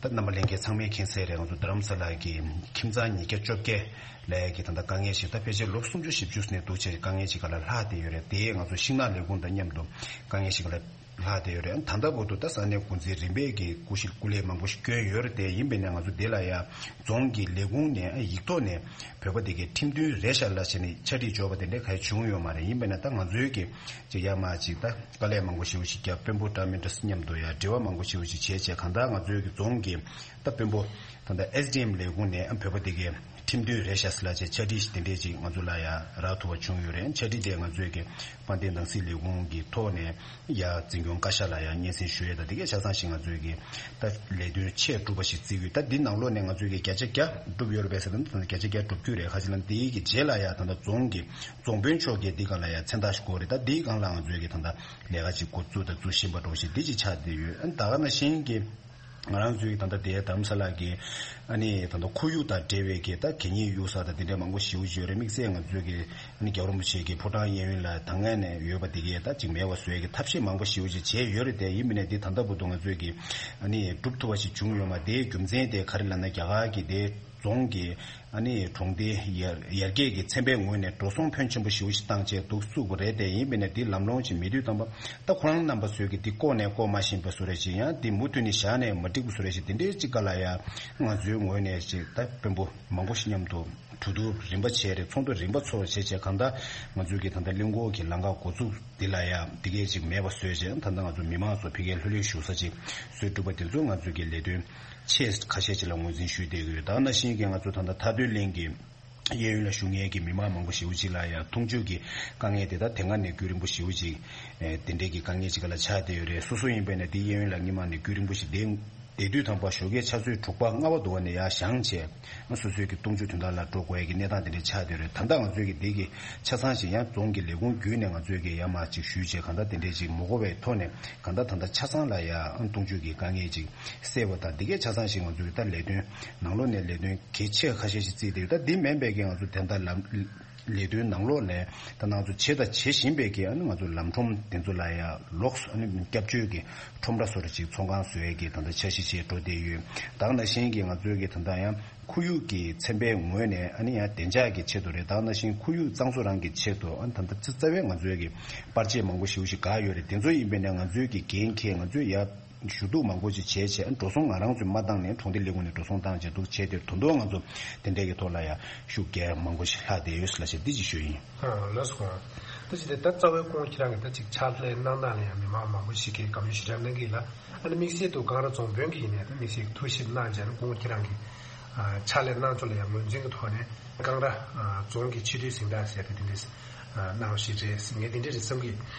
ད་རྣམ་པ་ལྷན་རྒྱས་ཚང་མས་མཁྱེན་གསལ་རེད། ང་ཚོ་རྡ་རམ་ས་ལ་གི་ཁྱིམ་ཚང་ཉིས་བརྒྱ་བཅོ་བརྒྱད་ལ་ཡ་གི་ད་ལྟ་དཀའ་ངལ་ཞིག་ད་ཕལ་ཆེར་ལོ་སུམ་ཅུ་བཞི་བཅུ་ནས་འདུག་བྱས་དཀའ་ངལ་ཞིག་ག་ལ་ལྷག་བསྡད་ཡོད་རེད། དེ་ང་ཚོ་ཤིང་ནགས་ལས་ཁུངས་དང་མཉམ་དུ་དཀའ་ངལ་ཞིག་ག་ལ་ལྷག་བསྡད་ཡོད་རེད། ད་ལྟ་བར་དུ་ད་ས་གནས་འགོ་འཛིན་རིམ་པས་ཀྱི་སྐུ་གཤེགས་སྐུ་ལས་མང་པོ་ཞིག་བསྐྱོན་ཡོད་རེད། དེ་ཡིན་པས་ན་ང་ཚོ་འདི་ལ་ཡ་རྫོང་གི་ལས་ཁུངས་ནས་ཡིག་ཐོག་ནས་བོད་པ་དེ་གའི་ཁྲིམས་མཐུན་རེད་ཤག་ལབ་བྱས་ནས་ཕྱག་བྲིས་འབྱོར་བ་དེ་འདྲ་ག་ཡེ་བྱུང་ཡོད་མ་རེད། ཡིན་པས་ན་ད་ང་ཚོའི་གི་ཅིག་ཡར་མར་ཅིག་ད་དཀའ་ལས་མང་པོ་ཞེ་པོ་ཞིག་བརྒྱབ། དཔོན་པོ་ཊར་མི་ནི་ཊར་མཉམ་དུ་ཡ་འབྲེལ་བ་མང་པོ་ཞེ་པོ་ཞིག་བྱས་བྱས། གང་ལྟར་ང་ཚོའི་གི་རྫོང་གི་ད་དཔོན་པོ་ད་ལྟ་ཨེས་ཌི་ཨེམ་ལས་ཁུངས་ནས་བོད་པ་དེ་གའི་ཁྲིམས་མཐུན་རེད་ཤག་ཟེར་ལབ་བྱས་ཕྱག་བྲིས་ཤིག་དེ་འདྲས་ཅིག་ང་ཚོ་ལ་ཡ་རག་ཐུབ་པ་བྱུང་ཡོད་རེད། ཕྱག་བྲིས་དེ་ང་ཚོའི་གི་དཔལ་ལྡན་ནང་སྲིད་ལས་ཁུངས་ཀྱི་ཐོག་ནས་ཡ་འཛིན་སྐྱོང་བཀའ་ཤག་ལ་ཡ་སྙན་སེང་ཞུ་ཡས་དང་། དེ་གས་ཆ་ཚང་ཞིག་ང་ཚོའི་གི་ད་ལས་དོན་ཆེས་སྒྲུབ་པ་ཞིག་བརྩི་གི་ཡོད། ད་འདི་ནང་ལོགས་ནས་ང་ཚོའི་གི་བརྒྱ་ཆ་བརྒྱ་སྒྲུབ་ཡོད་རེད་པས་ཟེར་ན། ད་བརྒྱ་ཆ་བརྒྱ་སྒྲུབ་རྒྱུ་རེད། ཁ་ཅིག་ལ་འདིའི་གི་རྗེས་ལ་ཡ་ད་ལྟ་རྫོང་གི་རྫོང་དཔོན་མཆོག་གིས་འདི་སྒང་ལ་ཡ་མཚན་རྟགས་ཤིག་དགོས་རེད། ད་འདིའི་སྒང་ལ་ང་ཚོའི་གི་ད་ལྟ་ལས་ཀ་ཅིག་འགོ་བཙུགས་དང་བཙུགས་བཞིན་པ་འདྲ་བོ་ཞིག་འདི་ཅིག་ཆགས་བསྡད་ཡོད། ཨ་ནི་ད་ག་ནང་བཞིན་གྱི་ང་རང་ཚོའི་ད་ལྟ་དེ་རྡ་རམ་ས་ལ་གི་ཨ་ནི་ད་ལྟ་ཁོར་ཡུག་དང་འབྲེལ་བའི་གི་ད་གད་སྙིགས་གཡུག་ས་དང་དེ་འདྲ་མང་པོ་ཞེ་པོ་ཅིག་ཡོད་རེད། དམིགས་བསལ་ང་ཚོའི་གི་ཨ་ནི་རྒྱལ་བ་རིན་པོ་ཆེ་གི་ཕོ་བྲང་གཡས་གཡོན་ལ་ད་སྔ་ནས་ཡོད་པ་དེ་གས་ད་ཅིག་མེད་པ་བཟོ་ཡས་ཀྱི་ཐབས་ཤེས་མང་པོ་ཞེ་པོ་ཅིག་བྱས་ཡོད་རེད། དེ་ཡིན་པ་ནས་འདི་ད་ལྟ་བར་དུ་ང་ཚོའི་གི་ཨ་ནི་སྒྲུབ་ཐུབ་པ་ཞིག་བྱུང་ཡོད་མ་རེད། དེའི་རྒྱུ་མཚན་དེ་ག་རེ་ལབ་ན། རྒྱ་གར་གྱི་དེ་རྫོང་གི་ཨ་ནི་གྲོང་སྡེ་ཡར་ཡར་རྒྱས་ཀྱི་ཚན་པའི་ངོས་ནས་འགྲོ་སོང་ཕོན་ཆེན་པོ་ཞེ་པོ་ཞིག་བཏང་བྱས་འདུག་བཙུགས་པ་རེད། དེ་ཡིན་པ་ནས་འདི་ལམ་ལྷོང་ཞིག་མེད་དུས་ཙམ་པ་ད་ཁོ་རང་རྣམ་པ་ཚོས་ཀྱི་འདི་ལྐོག་ནས་ལྐོག་མ་ཤེས་པ་བཟོ་འདྲ་ཞིག། ཡང་འདི་མུ་མཐུད་ནས་བཞག་ནས་མ་འགྲིག་པ་བཟོ་འདྲ་ཞིག། དེ་འདྲའི་ཅིག་ག་ལ་ཡ་ང་ཚོའི་ངོས་ནས་ཅིག་ད་དཔོན་པོ་མང་པོ་ཞིག་མཉམ་དུ་གྲོས་བསྡུར་རིམ་པ་བྱས་རེད། ཚོགས་འདུ་རིམ་པ་ཚོགས་བྱས་བྱས། གང་ལྟར་ང་ཚོའི་གི་ད་ལྟ་གླིང་སྐོར་གྱི་ལམ་ཁ་འགོ་བཙུགས་འདི་ལ་ཡ་འདི་གས་ཅིག་མེད་པ་བཟོས་བྱས། ད་ལྟ་ང་ཚོ་མི་མང་ཚོ་ཕ་གིར་ལྷོད་ལྷོད་བཞུགས་ས་ཅིག་བཟོས་གྲུབ་པ་དེ་ཚོ་ང་ཚོའི་གི་ལས་དོན་ཆེས་ཁ་ཤས་ཅིག་ལ་ངོས་འཛིན་ཞུས་བསྡད་ཀྱི་ཡོད། ད་ག་ནང་བཞིན་གྱི་ང་ཚོ་ད་ལྟ་མཐའ་སྡོད་གླིང་གི་གཡས་གཡོན་ལ་བཞུགས་མཁན་གྱི་མི་མང་མང་པོ་ཞེ་པོ་ཅིག་ལ་ཡང་འཐུང་ཆུ་གི་དཀའ་ངལ་དེ་དག་དེ་སྔ་ནས་རྒྱུན་རིང་པོ་ཞེ་པོ་ཅིག་ཨེ་དེ་འདྲའི་གི་དཀའ་ངལ་ཅིག་ག་ལ་ཆགས་བསྡད་ཡོད་རེད། སོ་སོ་ཡིན་པས་ན་དེ་གཡས་གཡོན་ལ་སྔོན་མ་ནས་རྒྱུན་རིང་པོ་ཞིག་བསྡད་བསྡད་དུས་ཙམ་པ་ཞོགས་ཀའི་ཆུ་ཚོད་དྲུག་པ་ལྔ་པ་དུ་བ་ནས་ཡར་བཞེངས་བྱས་སོ་སོའི་གི་འཐུང་ཆུ་དོན་དག་ལ་འགྲོ་དགོས་ཡ་གི་གནས་སྟངས་དེ་འདྲ་ཆགས་བསྡད་ཡོད་རེད། ད་ལྟ་ང་ཚོའི་གི་དེ་གི་ཆ་ཚང་ཞིག་ཡང་རྫོང་གི་ལས་ཁུངས་བརྒྱུད་ནས་ང་ཚོའི་གི་ཡར་མར་ཅིག་ཞུས་བྱས་གང་ལྟར་དེ་འདྲའི་ཅིག་མ་གོ་བའི་ཐོག་ནས་གང་ལྟར་ད་ལྟ་ཆ་ཚང་ལ་ཡང་འཐུང་ཆུ་གི་དཀའ་ངལ་ཅིག་སེལ་བ་དང་། དེ་གས་ཆ་ཚང་ཞིག་ང་ཚོའི་གི་ད་ལས་དོན་ནང་ལོགས་ནས་ལས་དོན་གལ་ཆེ་ཁ་ཤས་ཤིག་བརྩིས་ཏེ། ད་འདི་མིན་པའི་གི་ང་ཚོ་དེ་འདྲ་ལམ་ལས་དོན་ནང་ལོགས་ནས་ད་ང་ཚོ་བྱས་དང་བྱེད་བཞིན་པའི་གི་ཨ་ནི་ང་ཚོ་ལམ་ཁྲོམ་དེ་ཚོ་ལ་ཡང་ལོགས་སུ་ཨ་ནི་སྐྱབས་བཅོལ་གྱི་ཁྲོམ་ར་སོགས་ཅིག་ཚོང་ཁང་བཟོ་ཡས་ཀྱི་ད་ལྟ་འཆར་གཞི་བྱས་འགྲོ་བསྡད་ཡོད། ད་ག་ནང་བཞིན་གྱི་ང་ཚོའི་གི་ད་ལྟ་ཡང་ཁོར་ཡུག་གི་ཚན་པའི་ངོས་ནས་ཨ་ནི་ཡང་བདེ་འཇགས་ཀྱི་ཆེད་དུ་རེད། ད་ག་ནང་བཞིན་ཁོར་ཡུག་གཙང་བཟོ་རང་གི་ཆེད་དུ་ཨ་ནི་ད་ལྟ་རྩ་བའི་ང་ཚོའི་གི་པར་ཆས་མང་པོ་ཞེ་པོ་ཞིག་བཀག་ཡོད་རེད། དེ་ཚོ་ཡིན་པས་ན་ང་ཚོའི་གི་འགན་འཁྱེར་ང་ཚོས་ཡ་ཞུ་གཏུག་མང་པོ་ཅིག་བྱས་བྱས། འགྲོ་སོང་ང་རང་ཚོས་མ་བཏང་ནས་གྲོང་སྡེ་ལས་ཁུངས་ནས་འགྲོ་སོང་བཏང་བྱས་འདུག་བྱས་ཏེ། དོན་དུ་ང་ཚོ་དེ་འདྲའི་གི་ཐོག་ལ་ཡ་ཤུགས་རྒྱག་མང་པོ་ཞིག་ལྷག་བསྡད་ཡོད་ལབ་བྱས་འདི་ཅིག་ཞུ་ཡིན། ཨ། ལགས་སོ། ད་ཅི་སྟེ་ད་རྩ་བའི་སྐུ་ངོ་ཁྱེད་རང་གིས་ད་ཅིག་ཕྱག་ལས་གནང་སྟངས་ལ་ཡང་མི་མང་མང་པོ་ཞིག་གིས་བཀའ་མོལ་ཞེ་དྲག་གནང་གི་ཡིན་ལ། ཨ་ནི་དམིགས་བསལ་དུ་ཀང་ར་རྫོང་དཔོན་གྱི་ཡིན་ནའི་ད་དམིགས་བསལ་ཐུགས་ཞིབ་གནང་བྱས་ནས་སྐུ་ངོ་ཁྱེད་རང་གིས་ཨ་ཕྱག་ལས་གནང་ཕྱོགས་ལ་ཡང་ངོས་འཛིན་གྱི་ཐོག་ནས་ཀང་ར་ཨ་རྫོང་གི་སྤྱི་འཐུས་གཟེངས་རྟགས་ཟེར་ཏེ་དེ་འདྲས་ཨ་གནང་བ་ཞིག་རེད། ངས་དེ་འདྲས་རེད་བསམ་གྱི་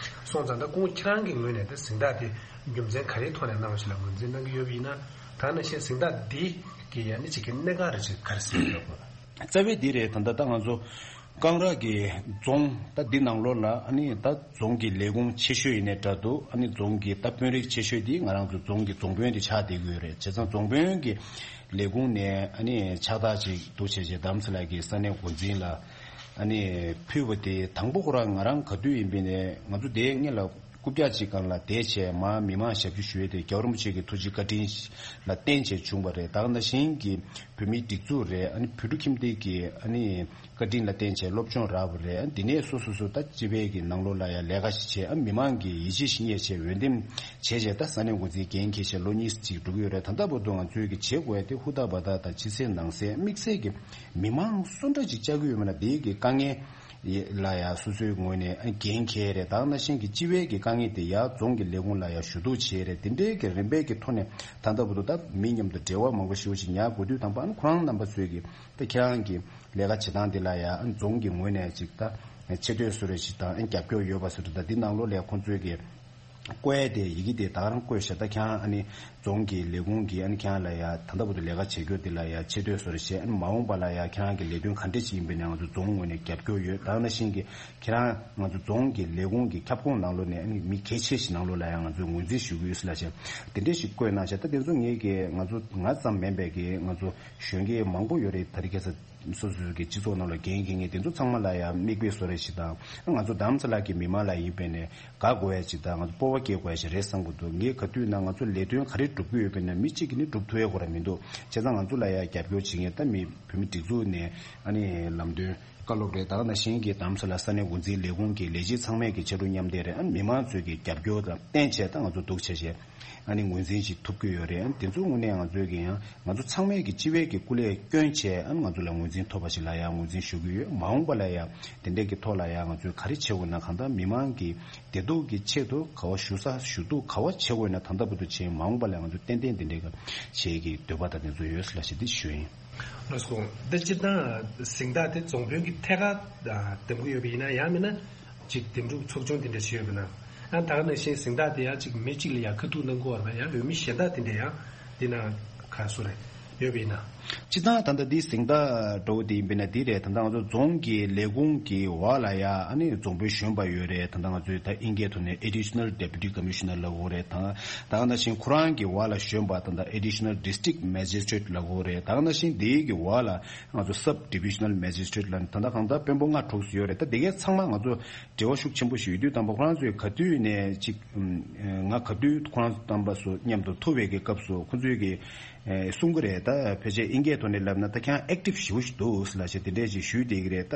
སོང་ཙང་། ད་སྐུ་ངོ་ཁྱེད་རང་གི་ངོས་ནས་ད་གཟེངས་རྟགས་དེ་རྒྱུ་མཚན་ག་རེའི་ཐོག་ནས་གནང་བ་ཞིག་ལ་ངོས་འཛིན་གནང་གི་ཡོད་པ་ཡིན་ན། ད་ནང་བཞིན་གཟེངས་རྟགས་འདི་གི་ཡང་ནི་ཅིག་གི་གནད་འགག་རེ་ཅིག་ག་རེ་གཟིགས་ཡོད་དགོས། རྩ་བའི་འདི་རེད། ད་ལྟ་ད་ང་ཚོ་ཀང་ར་གི་རྫོང་ད་འདི་ནང་ལོགས་ལ་ཨ་ནི་ད་རྫོང་གི་ལས་ཁུངས་ཆེ་ཤོས་ཡིན་ནའི་འདྲ་འདུག་ཨ་ནི་རྫོང་གི་ད་དཔོན་རིགས་ཆེ་ཤོས་འདི་ང་རང་ཚོ་རྫོང་གི་རྫོང་དཔོན་འདི་ཆགས་བསྡད་ཀྱི་ཡོད་རེད། བྱས་ཙང་རྫོང་དཔོན་གྱི་ལས་ཁུངས་ནས་ཨ་ནི་ཕྱག་རྟགས་ཅིག་འདུག་བྱས་བྱས་རྡ་རམ་ས་ལ་གི་ས་གནས་འགོ་འཛིན་ལ་ཨ་ནི་ཕུལ་བ་དེ་དང་པོ་ཁོ་རང་ང་རང་ག་དུས་ཡིན་པའི་ནས་ང་ཚོ་དེའི་སྔོན་ལ། རྐུབ་བཀྱག་ཅིག་སྒང་ལ་བསྡད་བྱས་མར་མི་མང་ཞབས་ཞུ་ཞུ་ཡས་དེ་རྒྱལ་བ་རིན་པོ་ཆེ་གི་ཐུགས་རྗེ་བཀའ་དྲིན་ལ་བརྟེན་བྱས་བྱུང་བ་རེད། ད་ག་ནང་བཞིན་གྱི་བོད་མིའི་སྒྲིག་འཛུགས་རེད། ཨ་ནི་བོད་ཕྲུག་ཁྱིམ་སྡེ་གི་ཨ་ནི་བཀའ་དྲིན་ལ་བརྟེན་བྱས་སློབ་སྦྱོང་རག་པ་རེད། ཨ་ནི་འདི་ནས་སོ་སོ་སོ་ད་སྤྱི་པའི་གི་ནང་ལོགས་ལ་ཡང་ལས་ཀ་ཞིག་བྱས། ཨ་མི་མང་གི་ཡིད་ཆེས་ཤིག་རྙེད་བྱས་འོས་འདེམས་བྱས་བྱས་ད་ས་གནས་འགོ་འཛིན་འགན་འཁྱེར་བྱས་ལོ་གཉིས་ཅིག་འགྲོ་གི་ཡོད་རེད། ད་ལྟ་བར་དུ་ང་ཚོའི་གི་བྱེད་དགོས་ཡ་དེ་ཧུར་ཐག་འབད་ཐག་དང་ཕྱི་གསལ་ནང་གསལ་དམིགས་བསལ་གྱི་མི་མང་སུ་འདྲ་ཅིག་བཅར་གི་ཡོད་མེད་ལ་དེའི་གི་དཀའ་ངལ། ལ་ཡ་སོ་སོའི་ངོས་ནས་འགན་འཁྱེར་རེད། ད་ག་ནང་བཞིན་གྱི་སྤྱི་པའི་གི་དཀའ་ངལ་དེ་ཡ་རྫོང་གི་ལས་ཁུངས་ལ་ཡ་ཞུ་གཏུག་བྱས་རེད། དེ་འདྲའི་གི་རིམ་པའི་གི་ཐོག་ནས་ད་ལྟ་བར་དུ་ད་མི་མཉམ་དུ་འབྲེལ་བ་མང་པོ་ཞེ་པོ་ཞིག་ཉར་དགོས་དུས་དང་པ་ཨ་ནི་ཁོ་རང་རྣམ་པ་ཚོས་གི་ད་ཁྱེད་རང་གི་ལས་ཀ་བྱེད་སྟངས་དེ་ལ་ཡ་ཨ་ནི་རྫོང་གི་ངོས་ནས་ཅིག་ད་ཆེ་བསྟོད་བཟོ་རེ་ཞིག་དང་ཨ་ནི་རྒྱབ་སྐྱོར་ཡོད་པ་བཟོ་འདྲ། ད་འདི་ནང་ལོགས་ལ་ཁོང་ཚོས་གི་བཀོད་ཡ་དེ་ཡི་གེ་དེ་ད་ག་རང་བཀོད་བཞག་ད་ཁྱེད་རང་ཨ་ནི་རྫོང་གི་ལས་ཁུངས་ཀྱིས་ཨ་ནི་ཁྱེད་རང་ལ་ཡ་ད་ལྟ་བར་དུ་ལས་ཀ་བྱེད་རྒྱུ་དེ་ལ་ཡ་ཆེ་བསྟོད་བཟོ་རེ་བྱས། ཨ་ནི་མ་འོངས་པ་ལ་ཡ་ཁྱེད་རང་གི་ལས་དོན་ག་འདྲས་ཅིག་ཡིན་པ་ཡིན་ནའི་ང་ཚོ་རྫོང་ངོས་ནས་རྒྱབ་སྐྱོར་ཡོད། ད་ག་ནང་བཞིན་གྱི་ཁྱེད་རང་ང་ཚོ་རྫོང་གི་ལས་ཁུངས་ཀྱི་ཁྱབ་ཁོངས་ནང་ལོགས་ནས་ཨ་ནི་མི་གལ་ཆེ་ཞིག་ནང་ལོགས་ལ་ཡ་ང་ཚོས་ངོས་འཛིན་ཞུ་གི་ཡོད་ཟེར་ལབ་བྱས། དེ་འདྲས་ཞིག་བཀོད་གནང་བྱས། ད་དེ་ཚོ་ངེད་ཀྱི་ང་ཚོ་ང་ཙམ་མིན་པའི་གི་ང་ཚོ་གཞོན་སྐྱེས་མང་པོ་ཡོད་རེད། ད་རེས་ཁ་སང་སོ་སོའི་གི་སྤྱི་ཚོགས་ནང་ལ་འགན་འཁྱེར་མཁན་དེ་ཚོ་ཚང་མ་ལ་ཡང་མིག་དཔེ་བཟོ་རེ་ཞིག་དང་། ང་ཚོ་རྡ་རམ་ས་ལ་གི་མི་མང་ལ་ཡིན་པས་ནས་དགའ་དགོས་ཡ་ཞིག་དང་། ང་ཚོ་སྤོབས་པ་སྐྱེ་དགོས་ཡ་ཞིག་རེད་བསམ་གྱི་འདུག་ངས་ག་དུས་ན་ང་ཚོ་ལས་དོན་ག་རེ་སྒྲུབ་ཀྱི་ཡོད་པས་ན་མི་གཅིག་གིས་ནི་སྒྲུབ་ཐུབ་ཡ་ཁོ་རང་མི་འདུག་བྱས་ཙང་ང་ཚོ་ལ་ཡང་རྒྱབ་སྐྱོར་བྱེད་མཁན་ད་མི་བོད་མི་སྒྲིག་འཛུགས་ནས་ཨ་ནི་ལམ་སྟོན་བཀའ་སློབ་རེད། ད་ག་ནང་བཞིན་གྱི་རྡ་རམ་ས་ལ་ས་གནས་འགོ་འཛིན་ལས་ཁུངས་ཀྱི་ལས་བྱེད་ཚང་མས་ཀྱི་ཕྱར་གྲུ་མཉམ་འདེགས་རེད། ཨ་ནི་མི་མང་ཚོས་ཀྱི་རྒྱབ་སྐྱོར་དང་བརྟེན་བྱས་ད་ང་ཚོ་འདུག་བྱས་བྱས། ཨ་ནི་ངོས་འཛིན་ཞིག་ཐོབ་ཀྱི་ཡོད་རེད། ཨ་ནི་དེ་ཚོའི་ངོས་ནས་ང་ཚོས་ཀྱི་ཡང་ང་ཚོ་ཚང་མས་ཀྱི་སྤྱི་པའི་ཀྱི་སྐུ་ལས་བསྐྱོན་བྱས། ཨ་ནི་ང་ཚོ་ལ་ངོས་འཛིན་ཐོབ་པ་ཞིག་ལ་ཡང་ངོས་འཛིན་ཞུ་གི་ཡོད། མ་འོངས་པ་ལ་ཡང་དེ་འདྲའི་གི་ཐོག་ལ་ཡང་ང་ཚོས་ག་རེ་བྱེད་དགོས་ན། གང་ལྟར་མི་མང་གི་བདེ་སྡུག་གི་ཆེད་དུ་ག་བ་ཞུ་ས་ཞུ་གཏུག་ག་བ་བྱེད་དགོས་ན་ད་ལྟ་བར་དུ་བྱས། མ་འོངས་པ་ལ་ང་ཚོ་ཏན་ཏན་དེ་འདྲའི་གི་བྱེད་ཀྱི་འདོད་པ་དང་དེ་ཚོ་ཡོད་ལ་ཞེས་འདི་ཞུ་ཡིན། ལགས་སོ། འདི་སྤྱིར་བཏང་གཟེངས་རྟགས་དེ་རྫོང་དཔོན་གྱི་ཐད་ཀར་འདེམས་ཀྱི་ཡོད་པ་ཡིན་ན། ཡང་མིན་ན་ཅིག་འདེམས་སྒྲུག་ཚོགས་ཆུང་དེ་འདྲ་ཞིག་ཡོད་པ་ན། ཡང་ད་ག་ནང་བཞིན་གཟེངས་རྟགས་དེ་ཡང་ཅིག་མི་གཅིག་ལ་ཡང་ཁ་ཐུག་གནང་དགོས་པ་ཡང་ཡོད་མི་གཞན་དག་དེ་འདྲ་ཡང་འདི་ན་ག་སུ་རེད་ཡོད་པ་ཡིན་ན། སྤྱིར་བཏང་ད་ལྟ་འདི་གཟེངས་རྟགས་འདྲ་བོ་དེ་ཡིན་པ་ན་འདི་རེད། ད་ལྟ་ང་ཚོ་རྫོང་གི་ལས་ཁུངས་ཀྱི་འོག་ལ་ཡང་ཨ་ནི་རྫོང་དཔོན་གཞོན་པ་ཡོད་རེད། ད་ལྟ་ང་ཚོའི་ད་ཨིན་སྐད་ཐོག་ནས་Additional Deputy Commissioner་ལབ་ཀྱི་ཡོད་རེད། ད་ད་ག་ནང་བཞིན་ཁོ་རང་གི་འོག་ལ་གཞོན་པ་ད་ལྟ་Additional District Magistrate་ལབ་ཀྱི་ཡོད་རེད། ད་ག་ནང་བཞིན་འདིའི་གི་འོག་ལ་ང་ཚོ་Sub Divisional Magistrate་ལ་ད་ལྟ་གང་ལྟར་དཔོན་པོ་ལྔ་དྲུག་ཙམ་ཡོད་རེད། ད་དེ་གའི་ཚང་མ་ང་ཚོ་འབྲེལ་བ་ཤུགས་ཆེན་པོ་ཞིག་ཡོད་དུས་དང་པོ་ཁོ་རང་ཚོས་ག་དུས་ནས་ཅིག་ང་ག་དུས་ཁོ་རང་ཚོ་རྣམ་པ་ཚོ་མཉམ་དུ་ཐུག་པའི་གི་སྐབས་སུ་ཁོ་ཚོས་གི་གསུང་གི་རེད། ད་ཕལ་ཆེར་ཨིན་སྐད་ཐོག་ནས་ལབ་ན་ད་ཁྱེད་རང་Active་ཞེ་པོ་ཞིག་འདུག་ལབ་བྱས་དེ་འདྲས་ཅིག་ཞུས་བསྡད་ཀྱི་རེད། ད་